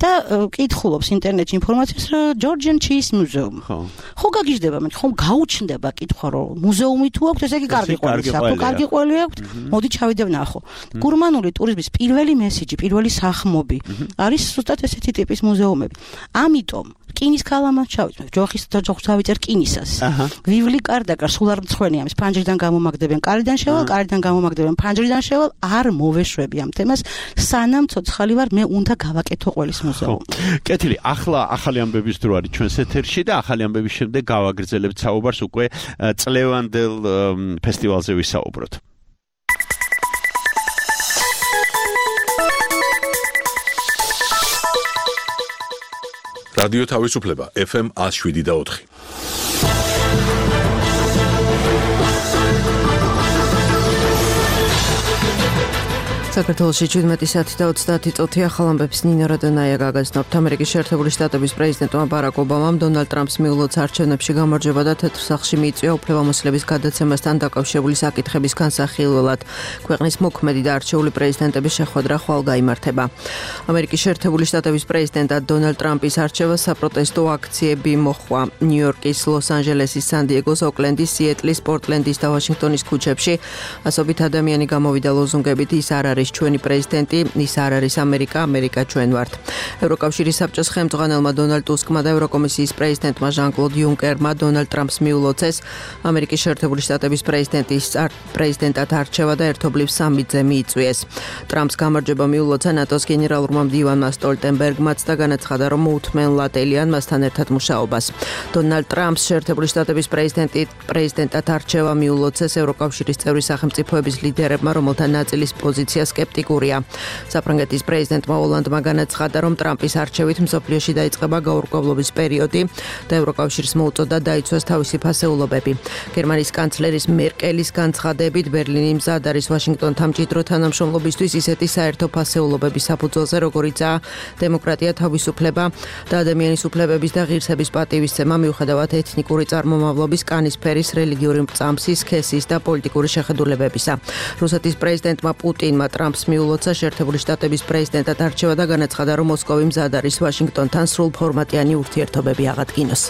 და კითხულობს ინტერნეტში ინფორმაციას ჯორჯენ ჩის მუზეუმი ხო გაგიჟდება მე ხომ გაუჩნდება კითხვა რომ მუზეუმი თუ აქვს ესე იგი კარგი ყველი აქვს მოდი ჩავიდე ვნახო გურმანული ტურიზმის პირველი მესიჯი პირველი სახმობი არის ზუსტად ესეთი ტიპის მუზეუმები ამიტომ რკინის ქალამაც ჩავიწვევ ჯოხის და ჯოხს ავიწერ რკინისას ვივლი კარდაკარ სულ არ მცხვენი ამის ფანჯრიდან გამომაგდებენ კარიდან გამომაგდებენ ფანჯრიდან შევალ არ მოვეშვები ამ თემას სანამ ცოცხალი ვარ მე უნდა გავაკეთო ყველის მუზეუმი კეთილი ახლა ახალი ამბების დრო არის ჩვენს ეთერში და ახალი ამბების შემდეგ გავაგრძელებთ საუბარს უკვე წლევანდელ ფესტივალზე ვისაუბროთ რადიო თავისუფლება FM 107.4 საქართველოში 17:30 წუთია ხალამბებს ნინო რადონაია გაგაცნობთ. ამერიკის შეერთებული შტატების პრეზიდენტმა ბარაკ ობამამ დონალდ ტრამპს მიულოც არჩევნებში გამარჯვება და თეთრ სახლში მიიწვია უფლებამოსილების გადაცემასთან დაკავშირებული საკითხების განსახილველად. ქვეყნის მოქმედი და არჩეული პრეზიდენტების შეხვედრა ხვალ გაიმართება. ამერიკის შეერთებული შტატების პრეზიდენტად დონალდ ტრამპის არჩევას საპროტესტო აქციები მოჰყვა ნიუ-იორკის, ლოს-ანჯელესის, სან-დიეგოს, ოკლენდის, სიეტლის, პორტლენდის და ვაშინგტონის ქუჩებში. ასობით ადამიანი გამოვიდა ლოზუნგებით ის არ არის ჩვენი პრეზიდენტი, ის არ არის ამერიკა, ამერიკა ჩვენ ვართ. ევროკავშირის საბჭოს ხელმძღვანელმა დონალდ ტუსკმა და ევროკომისიის პრეზიდენტმა ჟან-კლოდ იუნკერმა დონალდ ტრამპს მიულოცეს ამერიკის შეერთებული შტატების პრეზიდენტად არჩევა და ერთობლივ სამი-ზე მიიწვიეს. ტრამპს გამარჯვება მიულოცა ნატოს გენერალურმა მდივანმა სტოლტენბერგმაც და განაცხადა, რომ მოუთმენლადელიან მასთან ერთად მუშაობას. დონალდ ტრამპს შეერთებული შტატების პრეზიდენტად არჩევა მიულოცეს ევროკავშირის წევრი სახელმწიფოების ლიდერებმა, რომელთა ნაწილის პოზიცია სკეპტიკურია. საფრანგეთის პრეზიდენტმა ოლანდმა განაცხადა, რომ ტრამპის არჩევით მსოფლიოში დაიწყება გაურკვევლობის პერიოდი და ევროკავშირს მოუწოდა დაიცვას თავისი ფასეულობები. გერმანიის კანცლერის მერკელის განცხადებით ბერლინი მზად არის ვაშინგტონთან მჭიდრო თანამშრომლობისთვის ისეთი საერთო ფასეულობების საფუძველზე, როგორიცაა დემოკრატია, თავისუფლება და ადამიანის უფლებების და ღირსების პატივისცემა, მიუხედავად ეთნიკური წარმომავლობის, კანისფერის, რელიგიური მრწამსის, სქესის და პოლიტიკური შეხედულებებისა. რუსეთის პრეზიდენტმა პუტინმა ტრამპს მიულოცა შეერთებული შტატების პრეზიდენტად არჩევა და განაცხადა, რომ მოსკოვი მზად არის ვაშინგტონთან სრულფორმატიანი ურთიერთობები აღადგინოს.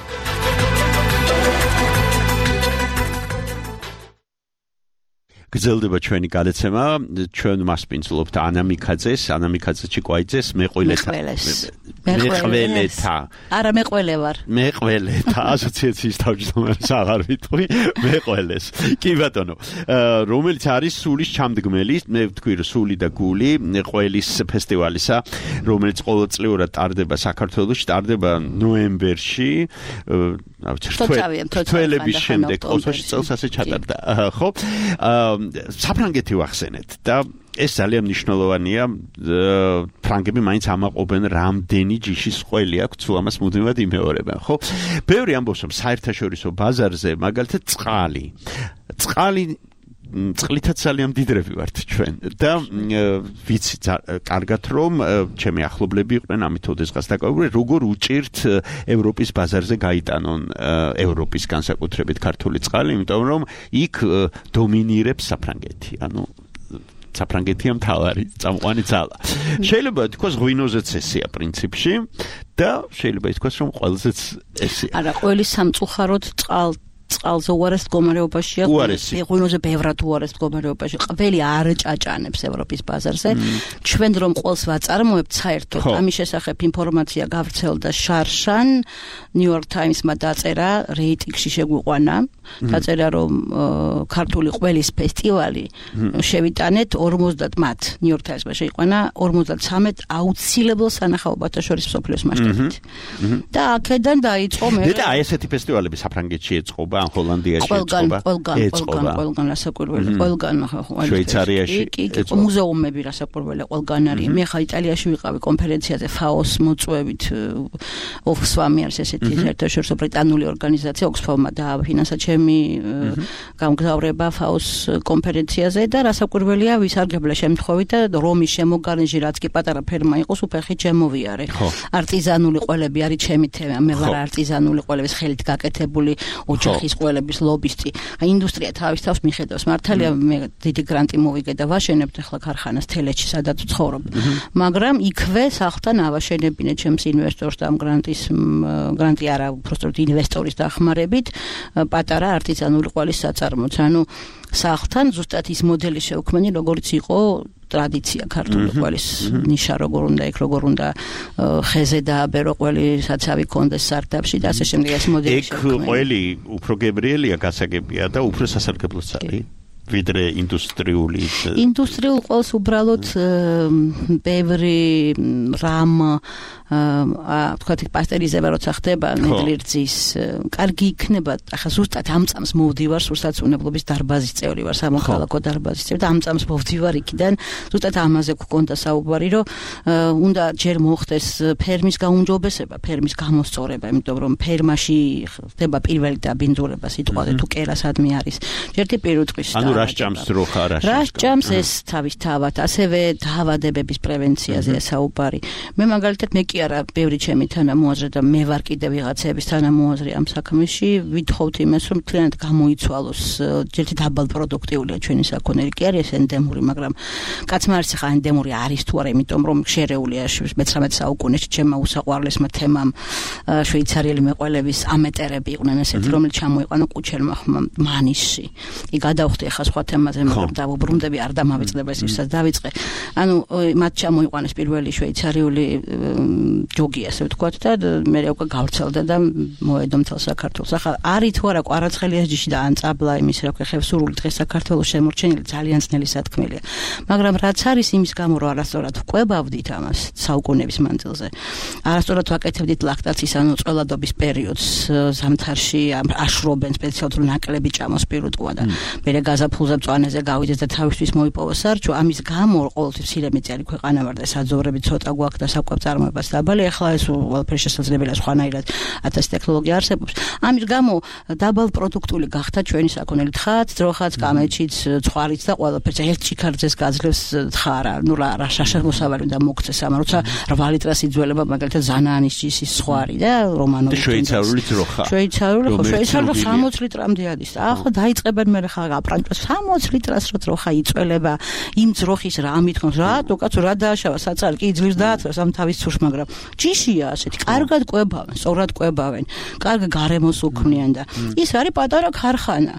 გრძელდება ჩვენი გადაცემა, ჩვენ მასპინძლობთ ანა მიქაძეს, ჩიკვაიძეს, მეყველეთა. არა, მეყველე ვარ. მეყველეთა ასოციაციის თავმჯდომარეს აღარ ვიტყვი, მეყველეს. კი ბატონო, რომელიც არის სულის ჩამდგმელი, მე ვთქვი, რომ სული და გული ყველის ფესტივალისა, რომელიც ყოველწლიურად ტარდება საქართველოში, ტარდება ნოემბერში, თველების შემდეგ, ყოველში წელს ასე ჩატარდა, ხო? საფრანგეთი ვახსენეთ და ეს ძალიან მნიშვნელოვანია. ფრანგები მაინც ამაყობენ რამდენი ჯიშის ყველი აქვს, თუ ამას მუდმივად იმეორებენ, ხო? ბევრი ამბობს, რომ საერთაშორისო ბაზარზე მაგალითად წყლითაც ძალიან მდიდრები ვართ ჩვენ და ვიცი კარგად რომ ჩემი ახლობლები იყვნენ ამით ოდესღაც დაკავებული, როგორ უჭირთ ევროპის ბაზარზე გაიტანონ ევროპის განსაკუთრებით ქართული წყალი, იმიტომ რომ იქ დომინირებს საფრანგეთი, ანუ საფრანგეთია მთავარი წამყვანი ძალა. შეიძლება თქვას ღვინოზეც ესეა პრინციპში და შეიძლება ითქვას რომ ყველზეც ესეა. არა, ყველი სამწუხაროდ წყალზე უარეს მდგომარეობაშია, ღვინოზე ბევრად უარეს მდგომარეობაში. ყველი არ ჭაჭანებს ევროპის ბაზარზე. ჩვენ რომ ყველს ვაწარმოებთ საერთოდ, ამის შესახებ ინფორმაცია გავრცელდა შარშან, New York Times-მა დაწერა, რეიტინგში შეგვიყვანა, დაწერა რომ ქართული ყველის ფესტივალი შევიტანეთ 50 მათ New York Times-მა შეიყვანა 53 აუცილებელ სანახაობათა შორის მსოფლიოს მასშტაბით. და აქედან დაიწყო მე. და ესეთი ფესტივალები საფრანგეთში ეწყობა, ან ჰოლანდიაში ყველგან რასაკვირველი, ყველგან შვეიცარიაში, მუზეუმები რასაკვირველი ყველგან არის. მე ხა იტალიაში ვიყავი კონფერენციაზე FAO-ს მოწვევით, Oxfam-ი არის ესეთი საერთაშორისო ბრიტანული ორგანიზაცია, Oxfam-მა დააფინანსა ჩემი გამგზავრება FAO-ს კონფერენციაზე და რასაკვირველია ვისარგებლე შემთხვევით და რომის შემოგარენში რაც კი პატარა ფერმა იყოს, უფეხი ჩემოვიარე. არტიზანული ყველები არის ჩემი თემა, მე ვარ არტიზანული ყველების ხელით გაკეთებული ოჯახის ყველების ლობისტი. ინდუსტრია თავის თავს მიხედავს. მართალია მე დიდი გრანტი მოვიგე და ვაშენებთ ახლა ქარხანას თელეთში, სადაც ვცხოვრობ. მაგრამ იქვე სახლთან ავაშენებინე ჩემს ინვესტორს და ამ გრანტი არა, უბრალოდ ინვესტორის დახმარებით პატარა არტიზანული ყველის საწარმოც. ანუ სახლთან ზუსტად ის მოდელი შევქმნი, როგორც იყო ტრადიცია ქართული ყველის ნიშა როგორ უნდა იქ, როგორ უნდა ხეზე დააბერო ყველი, საცავი კონდეს სარდაფში და ასე შემდეგ ეს მოდელი შევქმნი. ეგ ყველი უფრო გებრიელია, გასაგებია და უფრო სასარგებლოც არის. ვიდრე ინდუსტრიულ ყველს უბრალოდ ბევრი რამ თქვათ პასტერიზება როცა ხდება ნედლირძის კარგი იქნება. ახლა ზუსტად ამ წამს მოვდივარ სურსათმფლობის დარბაზის წევრი ვარ, სამოქალაქო დარბაზის წევრი და ამ წამს მოვდივარ იქიდან. ზუსტად ამაზე გვქონდა საუბარი, რომ უნდა ჯერ მოხდეს ფერმის გაუმჯობესება, ფერმის გამოსწორება, იმიტომ რომ ფერმაში ხდება პირველი დაბინძურება სიტყვაზე თუ კერასადმი არის. ერთი პირუტყვის. ანუ რას ჭამს ძროხა რას ჭამს ეს თავის თავად ასევე დაავადებების პრევენციაზე საუბარი მე მაგალითად მე კი არა ბევრი ჩემი თანამოაზრე და მე ვარ კიდე ვიღაცების თანამოაზრე ამ საქმეში ვითხოვთ იმას რომ მთლიანად გამოიცვალოს ერთი დაბალ პროდუქტიულია ჩვენი საქონელი კი არის ენდემური მაგრამ კაცმა არის ხა ენდემური არის თუ არა იმიტომ რომ შერეულია მე-19 საუკუნეში ჩემმა უსაყვარლესმა თემამ შვეიცარიელი მეყველების ამეტერები იყვნენ ესეთი რომელიც ჩამოიყვანა კუჩერმა მანიშში კი გადავხდი ახლა სხვა თემაზე მაგრამ დავუბრუნდები არ დამავიწყდება ეს ვისაც დავიწყე ანუ მათ ჩამოიყვანეს პირველი შვეიცარიული ჯოგი ასე ვთქვათ და მე უკვე გავრცელდა და მოედო მთელ საქართველოს ახლა არის თუ არა კვარაცხელიას ჯიში და ან წაბლა იმის რა ქვია ხევსურული დღეს საქართველოს შემორჩენილი ძალიან ძნელი სათქმელია მაგრამ რაც არის იმის გამო რომ არასწორად ვყვებავდით ამას საუკუნეების მანძილზე არასწორად ვაკეთებდით ლაქტაციის ანუ წველადობის პერიოდს ზამთარში აშრობენ სპეციალურ ნაკლები ჭამოს პირუტყვა და მე გაზაფხულზე მწვანეზე გავიდეს და თავისთვის მოიპოვა სარჩო ამის გამო ყოველთვის მცირე მიწიერი ქვეყანა ვარ და საძოვრები ცოტა გვაქვს და საკვებ წარმოებას დაბალი ახლა ეს ყველაფერი შესაძლებელია სხვანაირად 1000 ტექნოლოგია არსებობს ამის გამო დაბალ პროდუქტული გახდა ჩვენი საქონელი თხაც ძროხაც კამეჩიც ცხარიც და ყველაფერს ერთ ჩიქარძეს გაძლევს თხარა ნუ რა შაშამოსავალი და მოგცეს ამ როცა 8 ლიტრას იძველება მაგალითად ზანაანის ჯისის ხვარი და რომანოვი შვეიცარიული ძროხა შვეიცარიული 60 ლიტრამდე არის ახლა დაიწყებენ მე ხა აპრანტოს 60 ლიტრას რო ძროხა იწველება იმ ძროხის რა მithქონს რატო კაცო რა დააშავა საწარი კი ძლივს დააწევს ამ თავის ცურს მაგრამ ჯიშია ასეთი კარგად ყვებავენ სწორად ყვებავენ კარგ გარემოს უქმნიან და ის არის პატარა ქარხანა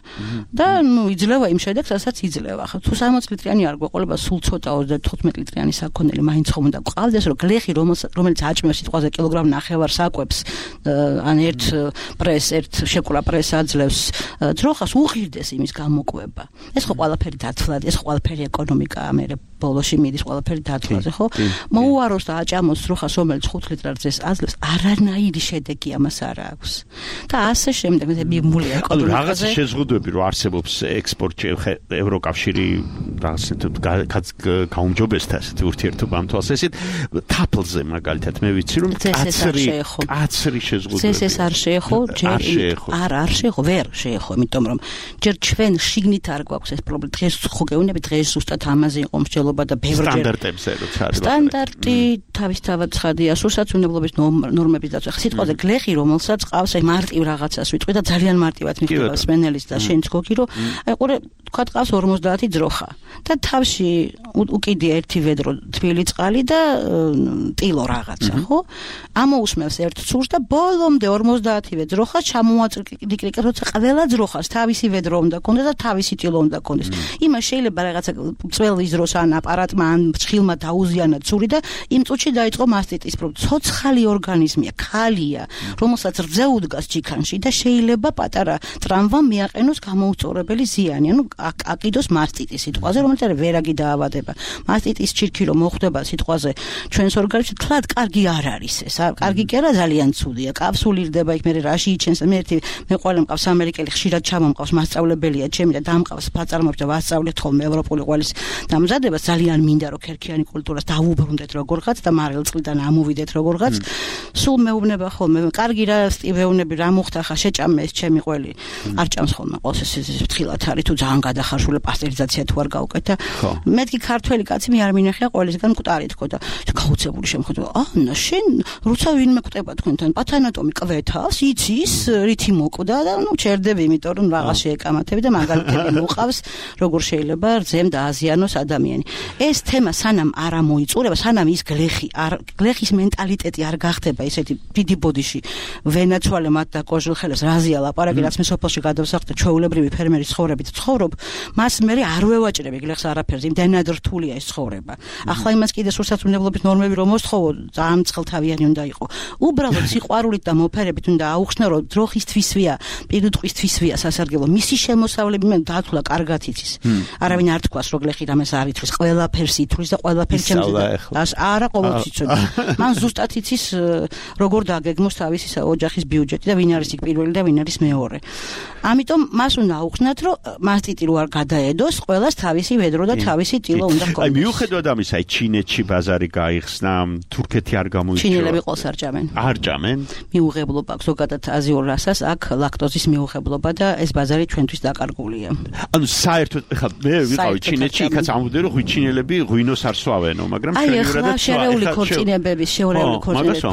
და ნუ იძლევა იმ შედეგს რასაც იძლევა ხა თუ 60 ליტრიანი არ გვეყოლება სულ ცოტა 35 ליტრიანი საქონელი მაინც ხომ უნდა გყავდეს რომ გლეხი რომელიც აჭმევს სიტყვაზე კილოგრამ ნახევარ საკვებს ან ერთ პრეს ერთ შეკულა პრეს აძლევს ძროხას უღირდეს იმის გამოკვება ეს ხო ყველაფერი დათვლად ეს ყველაფერი ეკონომიკაა მე ბოლოში მიდის ყველაფერი დათვლაზე ხო მოუაროს და აჭამოს ძროხას რომელიც 5 ლიტრზე აძლევს არანაირი შედეგი ამას არ აქვს და ასე შემდეგ მე მიგმულია ეკონომიკაზე რაღაც შეზღუდვები რო არსებობს ექსპორტში ევროკავშირი რაღაც გაუმჯობესდა ესეთი ურთიერთობა ამ თვალს ესეთ თაფლზე მაგალითად მე ვიცი რომ კაცრი შეზღუდვები ეს არ შეეხო არ შეეხო ვერ შეეხო იმიტომ რომ ჯერ ჩვენ შიგნით არ გვაქვს ეს პრობლემა დღეს ხო გეუბნები დღეს ზუსტად ამაზე იყო მსჯელობა და ბევრჯერ სტანდარტებზე როცა არის სტანდარტი თავისთავად ცხადია სულსაცუნებლობის ნორმების დაცვა სიტყვაზე გლეხი რომელსაც ყავს აი მარტივ რაღაცას ვიტყვი და ძალიან მარტივად მიხდება სმენელის და შენც გოგი რომ აი ყურე თქვა ყავს 50 ძროხა და თავში უკიდია ერთი ვედრო თბილი წყალი და ტილო რაღაცა ხო ამოусმევს ერთ ცურს და ბოლომდე 50-ვე ძროხა ჩამოაწრიკრიკა როცა ყველა ძროხას თავისი ვედრო უნდა კონდეს და თავისი ტილო უნდა კონდეს იმას შეიძლება რაღაცა წველის დროს ან აპარატმა ან ცხილმა დაუზიანა ცური და იმ წუთში დაიწყო მასტიტის პრობლემა ცოცხალი ორგანიზმია ქალია რომელსაც რძე უდგას ჩიქანში და შეიძლება პატარა ტრამვამ მიაყენოს გამოუწორებელი ზიანი ანუ აკიდოს მასტიტის სიტყვაზე რომელიც არის ვერაგი დაავადება მასტიტის ჩირქი რომ მოხდება სიტყვაზე ჩვენს ორგანიზმში თლად კარგი არ არის ეს კარგი კი არა ძალიან ცუდია კაფსულირდება იქ მე რაში იჩენს მე ყველა მყავს ამერიკელი ხშირად ჩამომყავს მასწავლებელია ჩემი და დამყავს ფაწარმოებს და ვასწავლეთ ხოლმე ევროპული ყველის დამზადებას ძალიან მინდა რომ ქერქიანი კულტურას დავუბრუნდეთ როგორღაც და მარილწყლიდან ამოვიდეთ როგორღაც სულ მეუბნება ხოლმე კარგი რა სტივეუნები რა მოხდა ხა შეჭამე ეს ჩემი ყველი არ ჭამს ხოლმე ყოველს ეს ფრთხილად არის თუ ძალიან გადახარშული პასტერიზაცია თუ არ გავუკეთა მეთქი ქართველი კაცი მე არ მინახია ყველისგან მკვდარი თქო და გაუცებული შემოხვდა ანა შენ როცა ვინმე კვდება თქვენთან პათანატომი კვეთავს იცის რითი მოკვდა და ნუ ჩერდები იმიტომ რომ რაღაც შეეკამათები და მაგალითები მოყავს როგორ შეიძლება რძემ დააზიანოს ადამიანი ეს თემა სანამ არ ამოიწურება სანამ ის გლეხის მენტალიტეტი არ გახდება ესეთი დიდი ბოდიში ვენაცვალე მათ და კოჟილხელებს რაზია ლაპარაკი რაც მე სოფელში გადავსახლდა ჩვეულებრივი ფერმერის ცხოვრებით ცხოვრობ მას მე არ ვევაჭრები გლეხს არაფერზე იმდენად რთულია ეს ცხოვრება ახლა იმას კიდე სულსაცუნებლობის ნორმები რომ მოსთხოვო ძალიან ცხელთავიანი უნდა იყო უბრალოდ სიყვარულით და მოფერებით უნდა აუხსნა რომ დროხისთვისვია პირუტყვისთვისვია სასარგებლო მისი შემოსავლები მე დათვლა კარგად იცის არავინ არ თქვას რომ გლეხი რამეს არ ითვლის ყველაფერს ითვლის და ყველაფერი ჩემს არა ყოველთვის იცოდა მან ზუსტად იცის როგორ დაგეგმოს თავისი ოჯახის ბიუჯეტი და ვინ არის იქ პირველი და ვინ არის მეორე ამიტომ მას უნდა აუხსნათ რომ მასტიტი რო არ გადაედოს ყველას თავისი ვედრო და თავისი ტილო უნდა ჰქონდეს აი მიუხედავად ამისა აი ჩინეთში ბაზარი გაიხსნა თურქეთი არ გამოიწვია ჩინელები ყოლს არ ჭამენ არ ჭამენ მიუღებლობა ზოგადად აზიურ რასას აქ ლაქტოზის მიუღებლობა და ეს ბაზარი ჩვენთვის დაკარგულია ანუ საერთოდ ხა მე ვიყავი ჩინეთში, იქაც ამბობდნენ რომ ჩინელები ღვინოს არ სვავენო, მაგრამ შენივრად შერეული ქორწინებების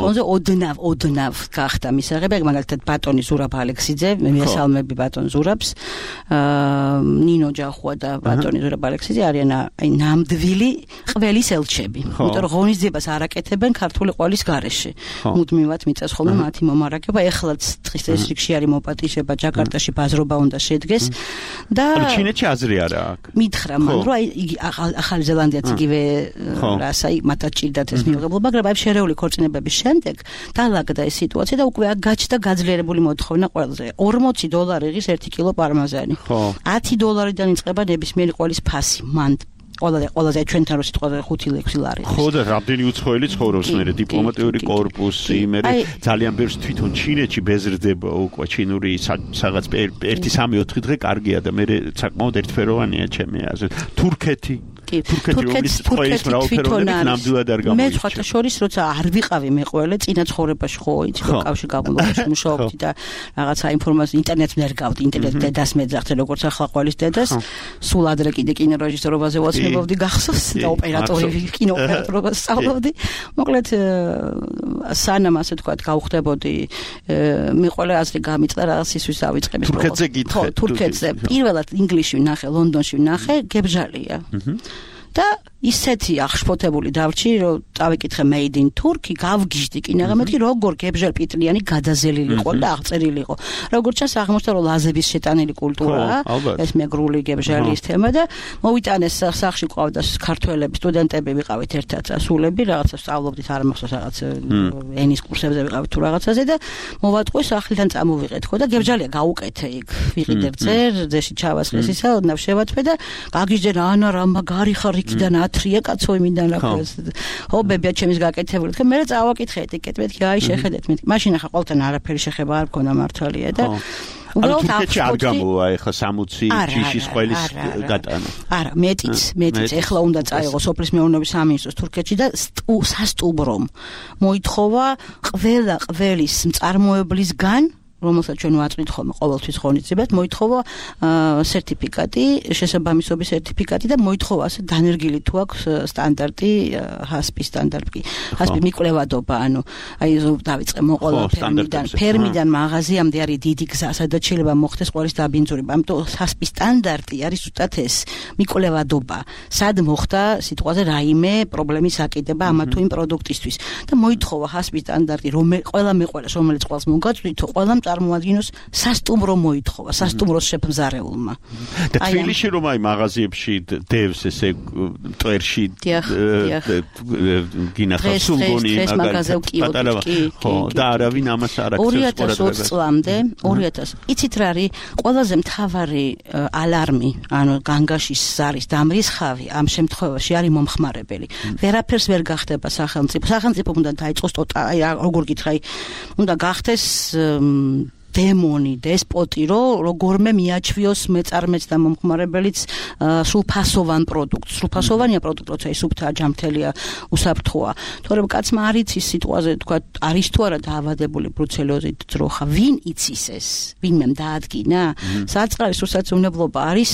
ფონზე ოდნავ გახდა მისაღები, მაგალითად ბატონი ზურაბ ალექსიძე, მიესალმები ბატონ ზურაბს, ნინო ჯახუა და ბატონი ზურაბ ალექსიძე არიან აი ნამდვილი ყველის ელჩები. იმიტომ რომ ღონისძიებას არ აკეთებენ ქართული ყველის გარეშე. მუდმივად მიწას ხოლმე მათი მომარაგება, ეხლაც დღის წესრიგში არის მოპატიჟება, ჯაკარტაში ბაზრობა უნდა შედგეს და ჩინეთში აზრი არა აქ. მითხრა მან რომ აი იგი ახალი ზელანდიაც იგივე რასა მათაც ჭირდათ ეს მიღებულობა, მაგრამ აი შერეული ქორწინებების შემდეგ დაალაგდა ეს სიტუაცია და უკვე აქ გაჩნდა გაძლიერებული მოთხოვნა ყველაზე. $40 იღის 1 კილო პარმაზანი. $10-დან იწყება ნებისმიერი ყველის ფასი. მან ყველაზე ჩვენთან რო სიტყვაზე 5-6 ლარი. ხო და რამდენი უცხოელი ცხოვრობს მე დიპლომატიური კორპუსი, მე ძალიან ბევრს თვითონ ჩინეთში ბეზრდება უკვე ჩინური რაღაც 1-3-4 დღე კარგია და მე საკმაოდ ერთფეროვანია ჩემი აზრით. თურქეთი თურქეთის მრავალფეროვნებით ნამდვილად არ გამოირჩევა. მე სხვათა შორის როცა არ ვიყავი მეყველე წინა ცხოვრებაში ხო იცი რომ კავშირ გამოლობაში მუშაობდი და რაღაცა ინფორმაცია ინტერნეტს ვერ გავდი, ინტერნეტ დედას მეძახდა როგორც ახლა ყველის დედას. სულ ადრე კიდე კინორეჟისორობაზე ვაცნობდი გახსოვს და ოპერატორი კინოოპერატორობას სწავლობდი. მოკლედ სანამ ასე თქვა გავხდებოდი მეყველე აზრი გამიწდა რაღაც ისვის ავიწყები. თურქეთზე გითხე. თურქეთზე პირველად ინგლისში ვნახე, ლონდონში ვნახე, გებჟალია. და ისეთი აღშფოთებული დავრჩი, რომ წავიკითხე made in Turkey, გავგიჟდი კინაღა მეთქი როგორ გებჟალ პიტლიანი გადაზელილი იყო და აღწერილი იყო. როგორც ჩანს აღმოჩნდა რომ ლაზების შეტანილი კულტურაა, ეს მეგრული გებჟალის თემა და მოვიტანეს სახში ყავდა ქართველები, სტუდენტები ვიყავით ერთად ასულები, რაღაცა სწავლობდით, არ მახსოვს რაღაც ენის კურსებზე ვიყავით თუ რაღაცაზე და მოვატყვი სახლიდან წამოვიღეთ ხო და გებჟალია გაუკეთე იქ. ვიყიდე ძეში ჩავასხეს ისა, ოდნავ შევათვე და გაგიჟდე რანა რა მაგარი ხარ იქიდან ათრია კაცო იმიდან რა ქვია. ხო ბებია ჩემის გაკეთებული. თქვენ მე წავაკითხე ეტიკეტ, მეთქი აი შეხედეთ, მეთქი. მაშინ ახლა ყოველთან არაფერი შეხება არ მქონდა მართალია და უბრალოდ თურქეთში არ გამოვა ეხლა 60 ჯიშის ყველის გატანა. არა, მეტიც ეხლა უნდა წაიღო სოფლის მეურნეობის სამინისტროს თურქეთში და სასტუმრომ მოითხოვა ყველა ყველის მწარმოებლისგან რომელსაც ჩვენ ვაწვით ხოლმე ყოველთვის ღონისძიებას, მოითხოვა სერტიფიკატი, შესაბამისობის სერტიფიკატი და მოითხოვა ასე დანერგილი თუ აქვს στანდარტი, ჰასპის სტანდარტი. ჰასპი მიკვლევადობა, ანუ აი დავიწყე მოყოლა ფერმიდან მაღაზიამდე არის დიდი გზა, სადაც შეიძლება მოხდეს ყველის დაბინძურება. ამიტომ ჰასპის სტანდარტი არის ზუსტად ეს მიკვლევადობა. სად მოხდა სიტყვაზე რაიმე პრობლემის აკიდება ამა თუ იმ პროდუქტისთვის და მოითხოვა ჰასპის სტანდარტი, ყველა მეყოლას, რომელიც ყველს მოგაწვითო, ყველა წარმოადგენს სასტუმრო მოითხოვა, სასტუმროს შეფმზარეულმა. და თბილისში რომ აი მაღაზიებში დევს ესე მტვერში გინახავს სულგონი მაგალითად ხო და არავინ ამას არ აქცევს 2020 წლამდე 2000 იცით რა არის ყველაზე მთავარი ალარმი, ანუ განგაშის ზარის დამრისხავი ამ შემთხვევაში არის მომხმარებელი. ვერაფერს ვერ გახდება სახელმწიფო უნდა დაიწყოს აი როგორ გითხრა, უნდა გახდეს დემონი, დესპოტი, რომ როგორმე მიაჩვიოს მეწარმეც და მომხმარებელიც სრულფასოვან პროდუქტს. სრულფასოვანია პროდუქტი, როცა ის სუფთა ჯამთელია, უსაფრთხოა. თორემ კაცმა არ იცის სიტყვაზე თქვა, არის თუ არა დაავადებული ბრუცელოზით ძროხა, ვინ იცის ეს? ვინმე დაადგინა? საწყარის უსაცუნებლობა არის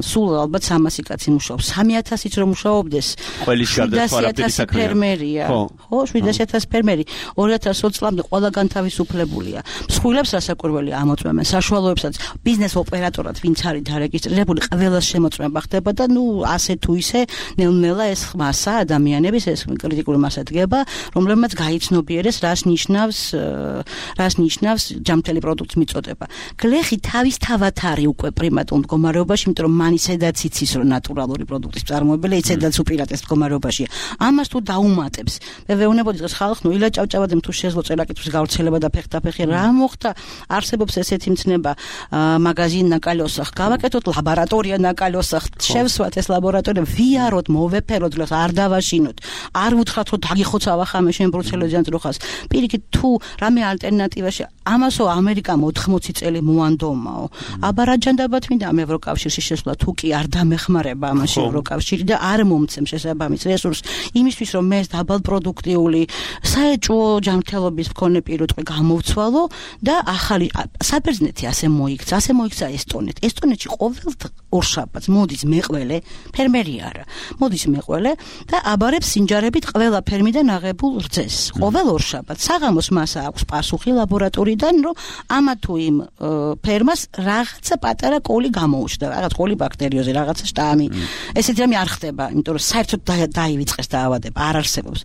სულ ალბათ 300 კაცი მუშაობს. 3000-იც რომ მუშაობდეს, 700,000 ფერმერია. ხო, 700,000 ფერმერი 2020 წლამდე ყველგან თავისუფლებულია. მსხვილებს საკვირველი ამოწმებენ, საშუალოებსაც ბიზნეს ოპერატორად ვინც არის დარეგისტრირებული, ყველას შემოწმება ხდება და ასე თუ ისე ნელ-ნელა ეს მასა ადამიანების ეს კრიტიკული მასა დგება, რომლებმაც გაიცნობიერეს რას ნიშნავს ჯამთელი პროდუქტის მიწოდება. გლეხი თავისთავად არის უკვე პრიმატულ მდგომარეობაში, იმიტომ რომ მან ისედაც იცის რომ ნატურალური პროდუქტის წარმოებელი ისედაც უპირატეს მდგომარეობაშია. ამას თუ დაუმატებს, მე ვეუბნებოდი დღეს ხალხს, ილაჭავჭავადემ თუ შეძლო წერაკითხვის გავრცელება და ფეხდაფეხი რა მოხდა, არსებობს ესეთი მცნება მაგაზინ ნაკალოსახ, გავაკეთოთ ლაბორატორია ნაკალოსახ, შევსვათ ეს ლაბორატორია, ვიაროთ, მოვეფეროთ, არ დავაშინოთ, არ უთხრათ რომ დაგიხოცავა ხამე შენ ბრუცელოზიან ძროხას. პირიქით თუ რამე ალტერნატივაში ამასო ამერიკამ 80 წელი მოანდომაო. აბარაჯანდაბათ მინდა ამ ევროკავშირში შესვლა, თუ კი არ დამეხმარება ამაში ევროკავშირი და არ მომცემ შესაბამის რესურსს იმისთვის რომ მე ეს დაბალპროდუქტიული საეჭვო ჯანმრთელობის მქონე პირუტყვი გამოვცვალო და ახალ ახალი საბერძნეთი ასე მოიქცა ესტონეთში ყოველ ორშაბათს მოდის მეყველე ფერმერი არა მოდის მეყველე და აბარებს სინჯარებით ყველა ფერმიდან აღებულ რძეს ყოველ ორშაბათს საღამოს მას აქვს პასუხი ლაბორატორიიდან რომ ამა თუ იმ ფერმას რაღაცა პატარა კოლი გამოუჩნდა რაღაც კოლი ბაქტერიოზი რაღაცა შტამი ესეთი რამე არ ხდება იმიტომ რომ საერთოდ დაივიწყეს დაავადება არ არსებობს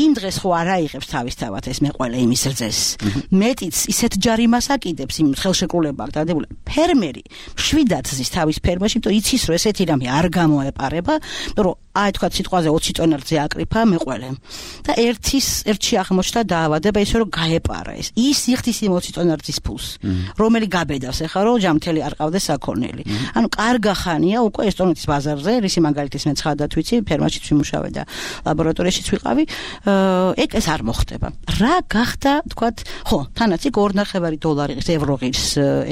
იმ დღეს ხო არ აიღებს თავისთავად ეს მეყველე იმის რძეს მეტიც ისეთ ჯარიმას აკიდებს იმ ხელშეკრულება დადებული ფერმერი შვიდად ზის თავის ფერმაში იმიტომ იცის რომ ესეთი რამე არ გამოეპარება იმიტომ რომ აი თქვა სიტყვაზე 20 ტონა რძე აკრიფა მეყველემ და ერთში აღმოჩნდა დაავადება ისე რომ გაეპარა ის იხდის იმ 20 ტონა რძის ფულს რომელი გაბედავს ახლა რომ ჯამთელი არ ყავდეს საქონელი ანუ კარგა ხანია უკვე ესტონეთის ბაზარზე რისი მაგალითის მე ცხადად ვიცი ფერმაშიც ვიმუშავე და ლაბორატორიაშიც ვიყავი ეგ ეს არ მოხდება რა გახდა თქვა ხო თანაც იქ $2.5 ევროღის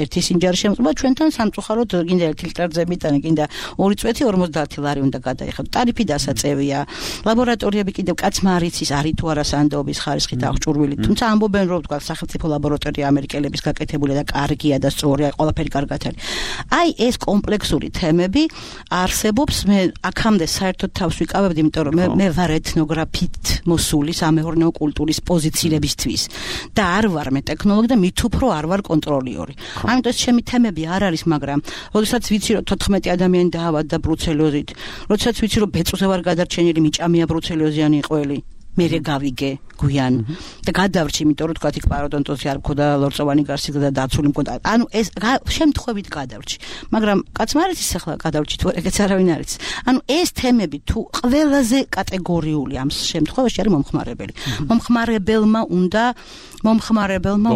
ერთი სინჯარი შემოწმება ჩვენთან სამწუხაროდ გინდა 1 ლიტრი რძებიდან გინდა 2 წვეთი 50 ლარი უნდა გადაიხადო ტარიფი დასაწევია ლაბორატორიები კიდევ კაცმა არ იცის არის თუ არა სანდოობის ხარისხით აღჭურვილი თუმცა ამბობენ რომ თქვა სახელმწიფო ლაბორატორია ამერიკელების გაკეთებულია და კარგია და სწორია ყველაფერი კარგად არის აი ეს კომპლექსური თემები არსებობს მე აქამდე საერთოდ თავს ვიკავებდი იმიტომ რომ მე ვარ ეთნოგრაფით მოსული სამეურნეო კულტურის პოზიციებისთვის და არ ვარ მე ტექნოლოგი და მით უფრო არ ვარ კონტროლიორი ამიტომ ეს ჩემი თემები არ არის მაგრამ როდესაც ვიცი რომ 14 ადამიანი დაავადდა ბრუცელოზით როდესაც ვიცი რომ ბეწვზე ვარ გადარჩენილი მიჭამია ბრუცელოზიანი ყველი მე გავიგე გვიან და გადავრჩი იმიტომ რომ თქვა იქ პაროდონტოზი არ მქონდა ლორწოვანი გარსი და დაცული მქონდა ანუ ეს შემთხვევით გადავრჩი მაგრამ კაცმა არ იცის ახლა გადავრჩი თუ ეგეც არავინ არ იცის ანუ ეს თემები თუ ყველაზე კატეგორიული ამ შემთხვევაში არის მომხმარებელმა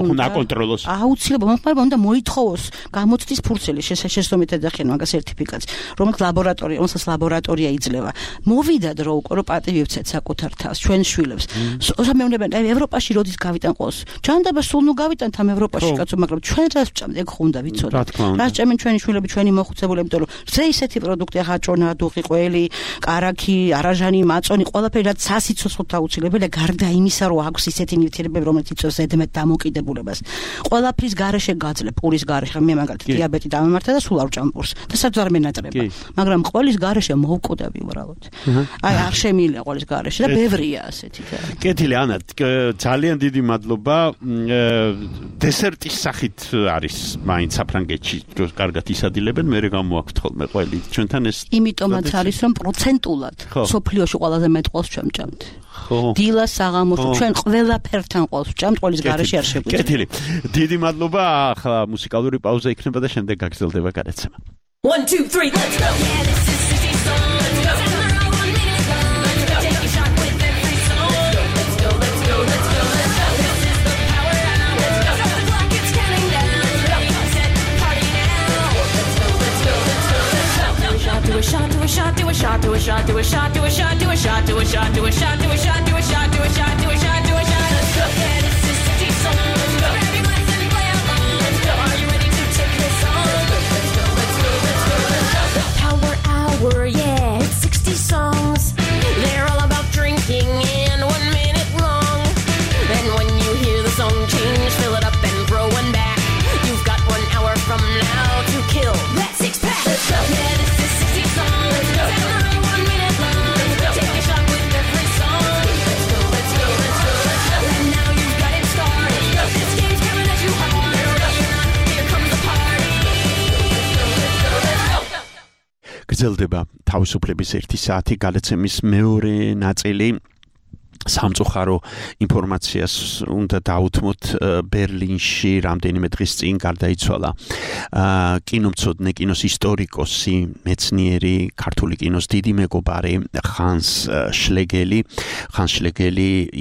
უნდა აკონტროლოს აუცილებლად მომხმარებელმა უნდა მოითხოვოს გამოცდის ფურცელი შესაბამისად დახიან მაგას სერტიფიკატს რომელსაც ლაბორატორია იძლევა მოვიდა დრო უკვე რომ პატივი ვცეთ საკუთარ თავს ჩვენ შვილებს სამეურნეობენ ევროპაში როდის გავიტან ყოს ჯანდაბა სულ ნუ გავიტანთ ამ ევროპაში კაცო მაგრამ ჩვენ რას ვჭამთ ეგ ხუნდა ვიცოდეთ რას ჭამენ ჩვენი შვილები ჩვენი მოხუცებული იმიტომ რომ ზე ისეთი პროდუქტი ახაჭონა დუღი ყველი კარაქი არაჟანი მაწონი ყველაფერი რაც სასიცოცხლოდ აუცილებელია გარდა იმისა რომ აქვს ისეთი ნივთიერებები რომელიც იწვევს ზედმეტ დამოკიდებულებას ყველაფრის გარეშე გაძლებ პურის გარეშე მე მაგალითად დიაბეტი დამემართა და სულ არ ვჭამ პურს და სადაც არ მენატრება მაგრამ ყველის გარეშე მოვკვდები უბრალოდ აი არ შემიძლია ყველის გარეშე და ბევრია ასეთი და კეთილი ანა ძალიან დიდი მადლობა დესერტის სახით არის მაინც საფრანგეთში კარგად ისადილებენ მე გამოაქვთ ხოლმე ყველი ჩვენთან ეს იმიტომაც არის რომ პროცენტულად სოფლიოში ყველაზე მეტ ყოლს ჩვენ ვჭამთ დილა საღამოში ჩვენ ყველაფერთან ყოლს ვჭამთ ყოლის გარეშე არ შეგვიძლია კეთილი დიდი მადლობა ახლა მუსიკალური პაუზა იქნება და შემდეგ გაგრძელდება გადაცემა 1 2 3 let's go yeah this is city song let's go Do a shot, do a shot, do a shot, do a shot, do a shot, do a shot, do a shot, do a shot, do a shot, do a shot, do a shot, do a shot, do a shot, do a shot. Let's go. Yeah, this is city song. Let's go. Grab your glass and play along. Let's go. Are you ready to take this on? Let's go, let's go, let's go, let's go. Power hour, yeah, it's 60 songs. They're all about drinking and 1 minute long. And when you hear the song change, fill it up and throw one back. You've got 1 hour from now to kill that 6-pack. Let's go. Yeah, this is 60 songs. Let's go. And 1 minute long. Let's go. Take a shot with every song. Let's go, let's go, let's go, let's go. And now you've got it started. This game's coming at you hard. Ready or not, here comes the party. Let's go, let's go, let's go. გრძელდება თავისუფლების 1 საათი გადაცემის მეორე ნაწილი სამწუხარო ინფორმაციას უნდა დაუთმოთ ბერლინში რამდენიმე დღის წინ გარდაიცვალა კინომცოდნე კინოს ისტორიკოსი მეცნიერი ქართული კინოს დიდი მეგობარი ხანს შლეგელი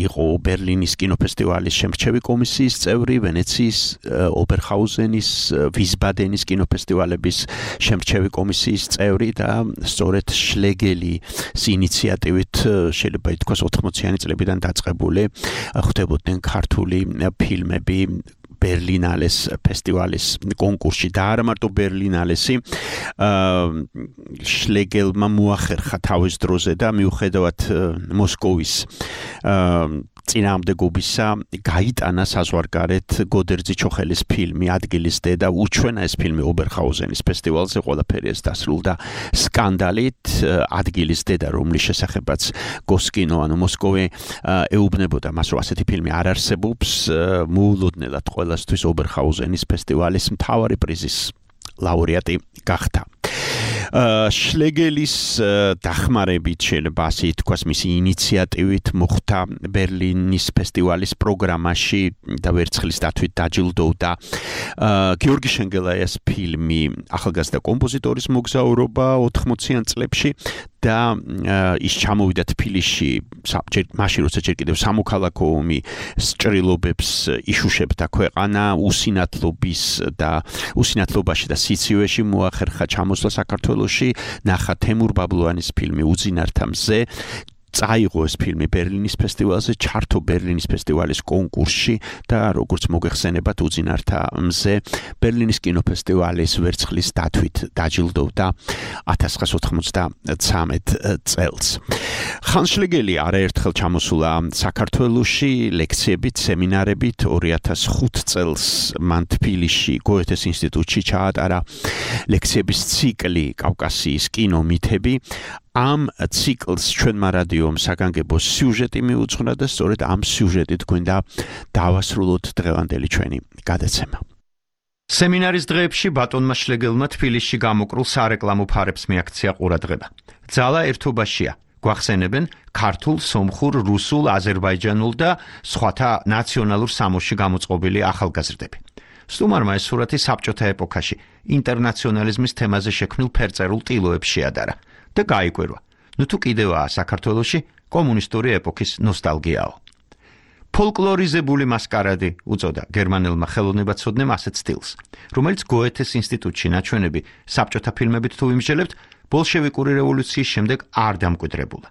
იყო ბერლინის კინოფესტივალის შემრჩევი კომისიის წევრი ვენეციის ობერჰაუზენის ვისბადენის კინოფესტივალების შემრჩევი კომისიის წევრი და სწორედ შლეგელის ინიციატივით შეიძლება ითქვას 80-იანი წლებიდან დაწყებული ხდებოდნენ ქართული ფილმები ბერლინალეს ფესტივალის კონკურსში და არა მარტო ბერლინალესი შლეგელმა მოახერხა თავის დროზე და მიუხედავად მოსკოვის წინააღმდეგობისა გაიტანა საზღვარგარეთ გოდერძი ჩოხელის ფილმი ადგილის დედა უჩვენა ეს ფილმი ობერჰაუზენის ფესტივალზე ყველაფერი ეს დასრულდა სკანდალით ადგილის დედა რომლის შესახებაც გოსკინო ანუ მოსკოვი ეუბნებოდა მას რომ ასეთი ფილმი არ არსებობს მოულოდნელად ყველასთვის ობერჰაუზენის ფესტივალის მთავარი პრიზის ლაურეატი გახდა შლეგელის დახმარებით შეიძლება ასე ითქვას მისი ინიციატივით მოხდა ბერლინის ფესტივალის პროგრამაში და ვერცხლის დათვით დაჯილდოვდა გიორგი შენგელაიას ფილმი ახალგაზრდა კომპოზიტორის მოგზაურობა 80-იან წლებში და ის ჩამოვიდა თბილისში მაშინ როცა ჯერ კიდევ სამოქალაქო ომი სჭრილობებს იშუშებდა ქვეყანა უსინათლობაში და სიცივეში მოახერხა ჩამოსვლა საქართველოში ნახა თემურ ბაბლუანის ფილმი უძინართა მზე წაიღო ეს ფილმი ბერლინის ფესტივალზე ჩართო ბერლინის ფესტივალის კონკურსში და როგორც მოგეხსენებათ უძინართა მზე ბერლინის კინოფესტივალის ვერცხლის დათვით დაჯილდოვდა 1993 წელს ხან შლეგელი არაერთხელ ჩამოსულა საქართველოში ლექციებით სემინარებით 2005 წელს მან თბილისში გოეთეს ინსტიტუტში ჩაატარა ლექციების ციკლი კავკასიის კინომითები ამ ციკლს ჩვენმა რადიომ საგანგებო სიუჟეტი მიუძღვნა და სწორედ ამ სიუჟეტით გვინდა დავასრულოთ დღევანდელი ჩვენი გადაცემა. სემინარის დღეებში ბატონმა შლეგელმა თბილისში გამოკრულ სარეკლამო ფარებს მიაქცია ყურადღება. ძალა ერთობაშია. გვახსენებენ ქართულ, სომხურ, რუსულ, აზერბაიჯანულ და სხვათა ნაციონალურ სამოსში გამოწყობილი ახალგაზრდები. სტუმარმა ეს სურათი საბჭოთა ეპოქაში ინტერნაციონალიზმის თემაზე შექმნილ ფერწერულ ტილოებს შეადარა. და გაიკვირვა. ნუ თუ კიდევაა საქართველოში კომუნისტური ეპოქის ნოსტალგიაო. ფოლკლორიზებული მასკარადი უწოდა გერმანელმა ხელოვნებაცოდნემ ასეთ სტილს, რომელიც გოეთეს ინსტიტუტში ნაჩვენები საბჭოთა ფილმებით თუ ვიმსჯელებთ, ბოლშევიკური რევოლუციის შემდეგ არ დამკვიდრებულა.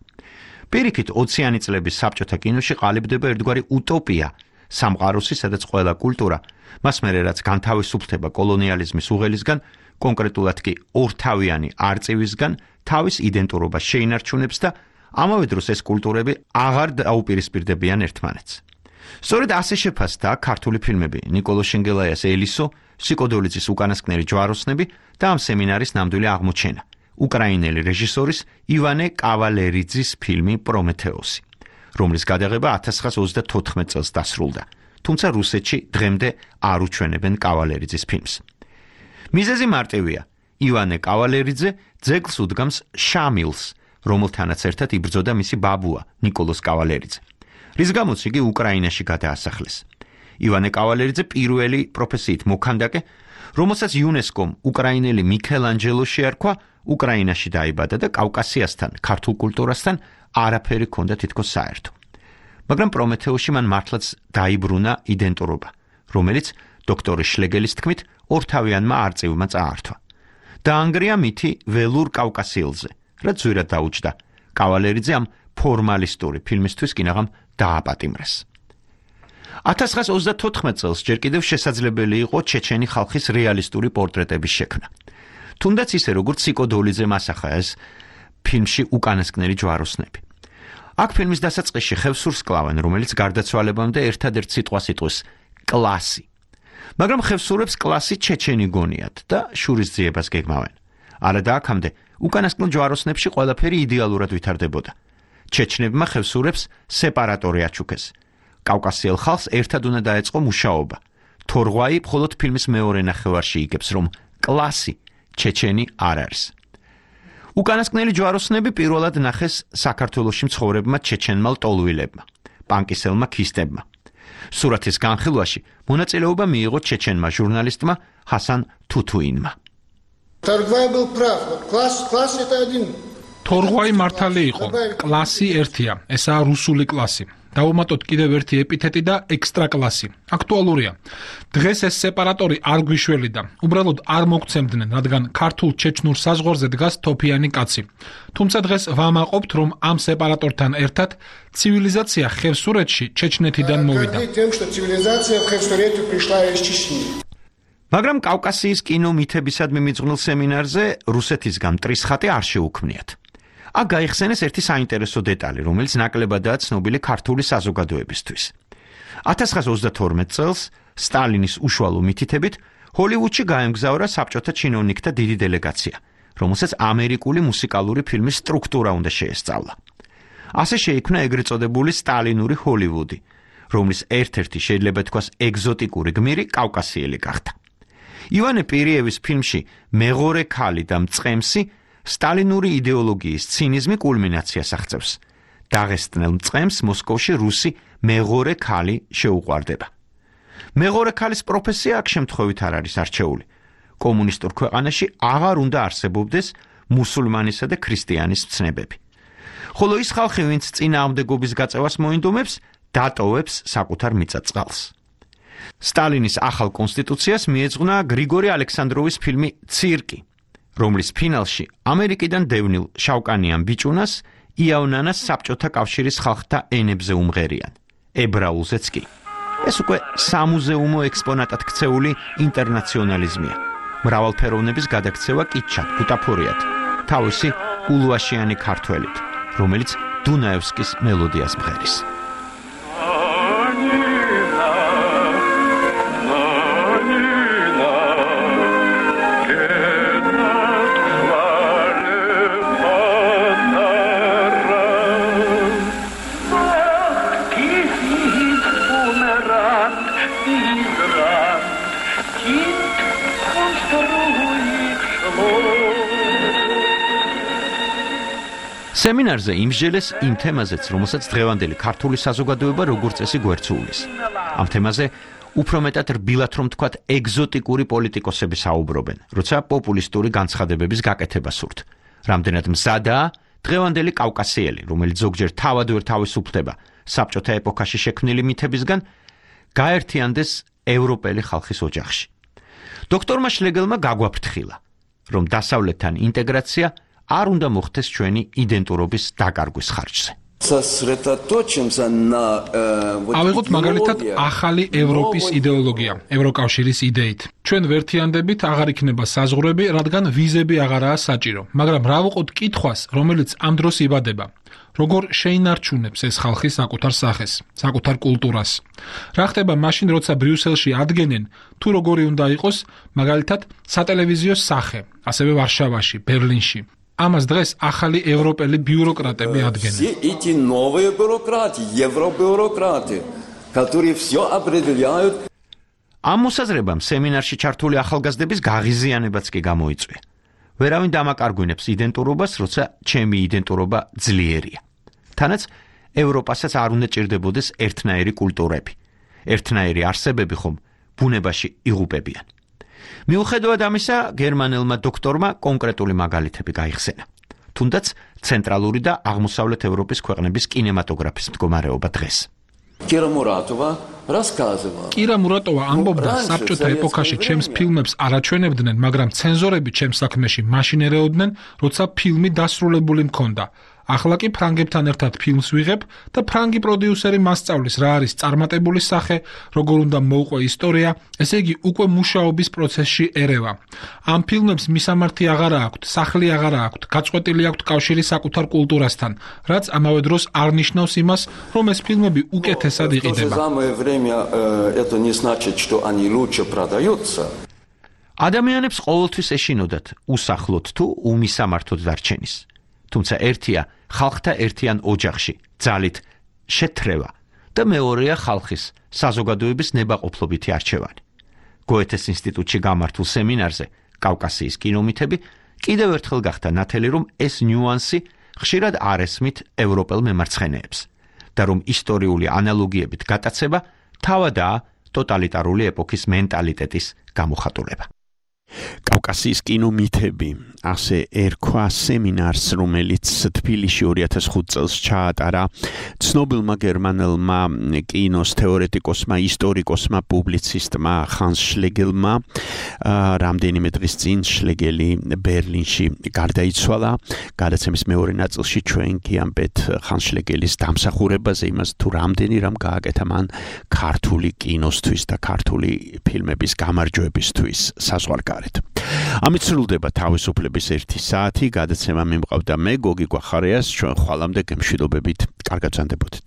პირიქით 20-იანი წლების საბჭოთა კინოში ყალიბდება ერთგვარი utopia, სამყაროსი, სადაც ყველა კულტურა, მას მერე რაც განთავისუფლდება კოლონიალიზმის უღელისგან, კონკრეტულად კი ორთავიანი არწივისგან თავის იდენტურობას შეინარჩუნებს და ამავე დროს ეს კულტურები აღარ დაუპირისპირდებიან ერთმანეთს. სწორედ ასე შეფასდა ქართული ფილმები ნიკოლო შენგელაიას ელისო, სიკოდოლიძის უკანასკნელი ჯვაროსნები და ამ სემინარის ნამდვილი აღმოჩენა, უკრაინელი რეჟისორის ივანე კავალერიძის ფილმი პრომეთეოსი, რომლის გადაღება 1934 წელს დასრულდა, თუმცა რუსეთში დღემდე არ უჩვენებენ კავალერიძის ფილმს. მიზეზი მარტივია. ივანე კავალერიძე ძეგლს უდგამს შამილს, რომელთანაც ერთად იბრძოდა მისი ბაბუა ნიკოლოს კავალერიძე, რის გამოც იგი უკრაინაში გადაასახლეს. ივანე კავალერიძე პირველი პროფესიით მოქანდაკე, რომელსაც იუნესკომ უკრაინელი მიქელანჯელო შეარქვა, უკრაინაში დაიბადა და კავკასიასთან, ქართულ კულტურასთან არაფერი ჰქონდა თითქოს საერთო. მაგრამ პრომეთეოში მან მართლაც დაიბრუნა იდენტურობა, რომელიც დოქტორი შლეგელის თქმით ორთავიანმა არწივმა წაართვა. დაანგრია მითი ველურ კავკასიელზე, რაც ზვირად დაუჯდა. კავალერიძე ამ ფორმალისტური ფილმისთვის კინაღამ დააპატიმრეს. 1934 წელს ჯერ კიდევ შესაძლებელი იყო ჩეჩენი ხალხის რეალისტური პორტრეტების შექმნა. თუნდაც ისე როგორც სიკოდოლიძემ ასახა ეს ფილმში უკანასკნელი ჯვაროსნები. აქ ფილმის დასაწყისში ხევსურს კლავენ, რომელიც გარდაცვალებამდე ერთადერთ სიტყვას იტყვის კლასი. მაგრამ ხევსურებს კლასი ჩეჩენი გონიათ და შურისძიებას გეგმავენ. არა და აქამდე უკანასკნელ ჯვაროსნებში ყველაფერი იდეალურად ვითარდებოდა. ჩეჩნებმა ხევსურებს სეპარატორი აჩუქეს. კავკასიელ ხალხს ერთად უნდა დაეწყო მუშაობა. თორღვაი მხოლოდ ფილმის მეორე ნახევარში იგებს, რომ კლასი ჩეჩენი არ არის. უკანასკნელი ჯვაროსნები პირველად ნახეს საქართველოში მცხოვრებმა ჩეჩენმა ლტოლვილებმა, პანკისელმა ქისტებმა. სურათის განხილვაში მონაწილეობა მიიღო ჩეჩენმა ჟურნალისტმა ჰასან თუთუინმა. თორღვაი მართალი იყო. კლასი ერთია, ესაა რუსული კლასი. დავუმატოთ კიდევ ერთი ეპითეტი და ექსტრაკლასი. აქტუალურია. დღეს ეს სეპარატორი არ გვიშველიდა. უბრალოდ არ მოგცემდნენ, რადგან ქართულ ჩეჩნურ საზღვარზე დგას თოფიანი კაცი. თუმცა დღეს ვამაყობთ, რომ ამ სეპარატორთან ერთად ცივილიზაცია ხევსურეთში ჩეჩნეთიდან მოვიდა. მაგრამ კავკასიის კინო მითებისადმი მიძღვნილ სემინარზე რუსეთისგან მტრის ხატი არ შეუქმნიათ. აქ გაიხსენეს ერთი საინტერესო დეტალი, რომელიც ნაკლებადაა ცნობილი ქართული საზოგადოებისთვის. 1932 წელს სტალინის უშუალო მითითებით ჰოლივუდში გაემგზავრა საბჭოთა ჩინოვნიკთა დიდი დელეგაცია, რომელსაც ამერიკული მუსიკალური ფილმის სტრუქტურა უნდა შეესწავლა. ასე შეიქმნა ეგრეთ წოდებული სტალინური ჰოლივუდი, რომლის ერთ-ერთი შეიძლება თქვას ეგზოტიკური გმირი კავკასიელი გახდა. ივანე პირიევის ფილმში მეღორე ქალი და მწყემსი სტალინური იდეოლოგიის ცინიზმი კულმინაციას აღწევს. დაღესტნელ მწყემს მოსკოვში რუსი მეღორე ქალი შეუყვარდება. მეღორე ქალის პროფესია აქ შემთხვევით არ არის არჩეული. კომუნისტურ ქვეყანაში აღარ უნდა არსებობდეს მუსულმანისა და ქრისტიანის ცნებები. ხოლო ის ხალხი, ვინც წინააღმდეგობის გაწევას მოინდომებს, დატოვებს საკუთარ მიწა-წყალს. სტალინის ახალ კონსტიტუციას მიეძღვნა გრიგორი ალექსანდროვის ფილმი ცირკი, რომლის ფინალში ამერიკიდან დევნილ შავკანიან ბიჭუნას იავნანას საბჭოთა კავშირის ხალხთა ენებზე უმღერიან, ებრაულზეც კი. ეს უკვე სამუზეუმო ექსპონატად ქცეული ინტერნაციონალიზმია. მრავალფეროვნების გადაქცევა კითჩად, ბუტაფორიად, თავისი ულუაშიანი ქართველით, რომელიც დუნაევსკის მელოდიას მღერის. სემინარზე იმსჯელეს იმ თემაზეც, რომელსაც დღევანდელი ქართული საზოგადოება როგორც წესი გვერდსულის. ამ თემაზე უფრო მეტად რბილად რომ თქვათ ეგზოტიკური პოლიტიკოსები საუბრობენ, როცა პოპულისტური განცხადებების გაკეთება სურთ. რამდენად მზადაა დღევანდელი კავკასიელი, რომელიც ზოგჯერ თავად ვერ თავისუფლდება საბჭოთა ეპოქაში შექმნილი მითებისგან, გაერთიანდეს ევროპელი ხალხის ოჯახში. დოქტორმა შლეგელმა გაგვაფრთხილა, რომ დასავლეთთან ინტეგრაცია არ უნდა მოხდეს ჩვენი იდენტურობის დაკარგვის ხარჯზე. ავიღოთ მაგალითად ახალი ევროპის იდეოლოგია, ევროკავშირის იდეით. ჩვენ ვერთიანდებით აღარ იქნება საზღვრები, რადგან ვიზები აღარაა საჭირო. მაგრამ რა ვუყოთ კითხვას, რომელიც ამ დროს იბადება. როგორ შეინარჩუნებს ეს ხალხი საკუთარ სახეს, საკუთარ კულტურას? რა ხდება მაშინ, როცა ბრიუსელში ადგენენ, თუ როგორი უნდა იყოს, მაგალითად, სატელევიზიო სახე, ასევე ვარშავაში, ბერლინში. ამას დღეს ახალი ევროპელი ბიუროკრატები ადგენენ. ამ მოსაზრებამ სემინარში ჩართული ახალგაზრდების გაღიზიანებაც კი გამოიწვია. ვერავინ დამაკარგვინებს იდენტურობას, როცა ჩემი იდენტურობა ძლიერია. თანაც ევროპასაც არ უნდა ჭირდებოდეს ერთნაირი კულტურები. ერთნაირი არსებები ხომ ბუნებაში იღუპებიან. მიუხედავად ამისა, გერმანელმა დოქტორმა კონკრეტული მაგალითები გაიხსენა. თუნდაც ცენტრალური და აღმოსავლეთ ევროპის ქვეყნების კინემატოგრაფის მდგომარეობა დღეს. კირა მურატოვა ამბობდა, საბჭოთა ეპოქაში ჩემს ფილმებს არაჩვენებდნენ, მაგრამ ცენზორები ჩემს საქმეში მაშინ ერეოდნენ, როცა ფილმი დასრულებული მქონდა. ახლა კი ფრანგებთან ერთად ფილმს ვიღებ და ფრანგი პროდიუსერი მასწავლის რა არის წარმატებული სახე, როგორ უნდა მოუყვე ისტორია, ესე იგი უკვე მუშაობის პროცესში ერევა. ამ ფილმებს მისამართი აღარა აქვთ, სახლი აღარა აქვთ, გაწყვეტილი აქვთ კავშირი საკუთარ კულტურასთან, რაც ამავე დროს არ ნიშნავს იმას, რომ ეს ფილმები უკეთესად იყიდება. ადამიანებს ყოველთვის ეშინოდათ უსახლოდ თუ უმისამართოდ დარჩენის. თუმცა ერთია ხალხთა ერთიან ოჯახში ძალით შეთრევა და მეორეა ხალხის საზოგადოების ნებაყოფლობითი არჩევანი. გოეთეს ინსტიტუტში გამართულ სემინარზე კავკასიის კინომითები კიდევ ერთხელ გახდა ნათელი, რომ ეს ნიუანსი ხშირად არ ესმით ევროპელ მემარცხენეებს და რომ ისტორიული ანალოგიებით გატაცება თავადაა ტოტალიტარული ეპოქის მენტალიტეტის გამოხატულება. კავკასიის კინომითები ასე ერქვა სემინარს, რომელიც თბილისში 2005 წელს ჩაატარა ცნობილმა გერმანელმა კინოს თეორეტიკოსმა, ისტორიკოსმა, პუბლიცისტმა ხანს შლეგელმა. რამდენიმე დღის წინ შლეგელი ბერლინში გარდაიცვალა. გადაცემის მეორე ნაწილში ჩვენ გიამბეთ ხანს შლეგელის დამსახურებაზე, იმას თუ რამდენი რამ გააკეთა მან ქართული კინოსთვის და ქართული ფილმების გამარჯვებისთვის საზღვარგარეთ. ამით სრულდება თავისუფლების 1 საათი. გადაცემა მიმყავდა მე გოგი გვახარიას. ჩვენ ხვალამდე გემშვიდობებით. კარგად ვსანდებოდეთ.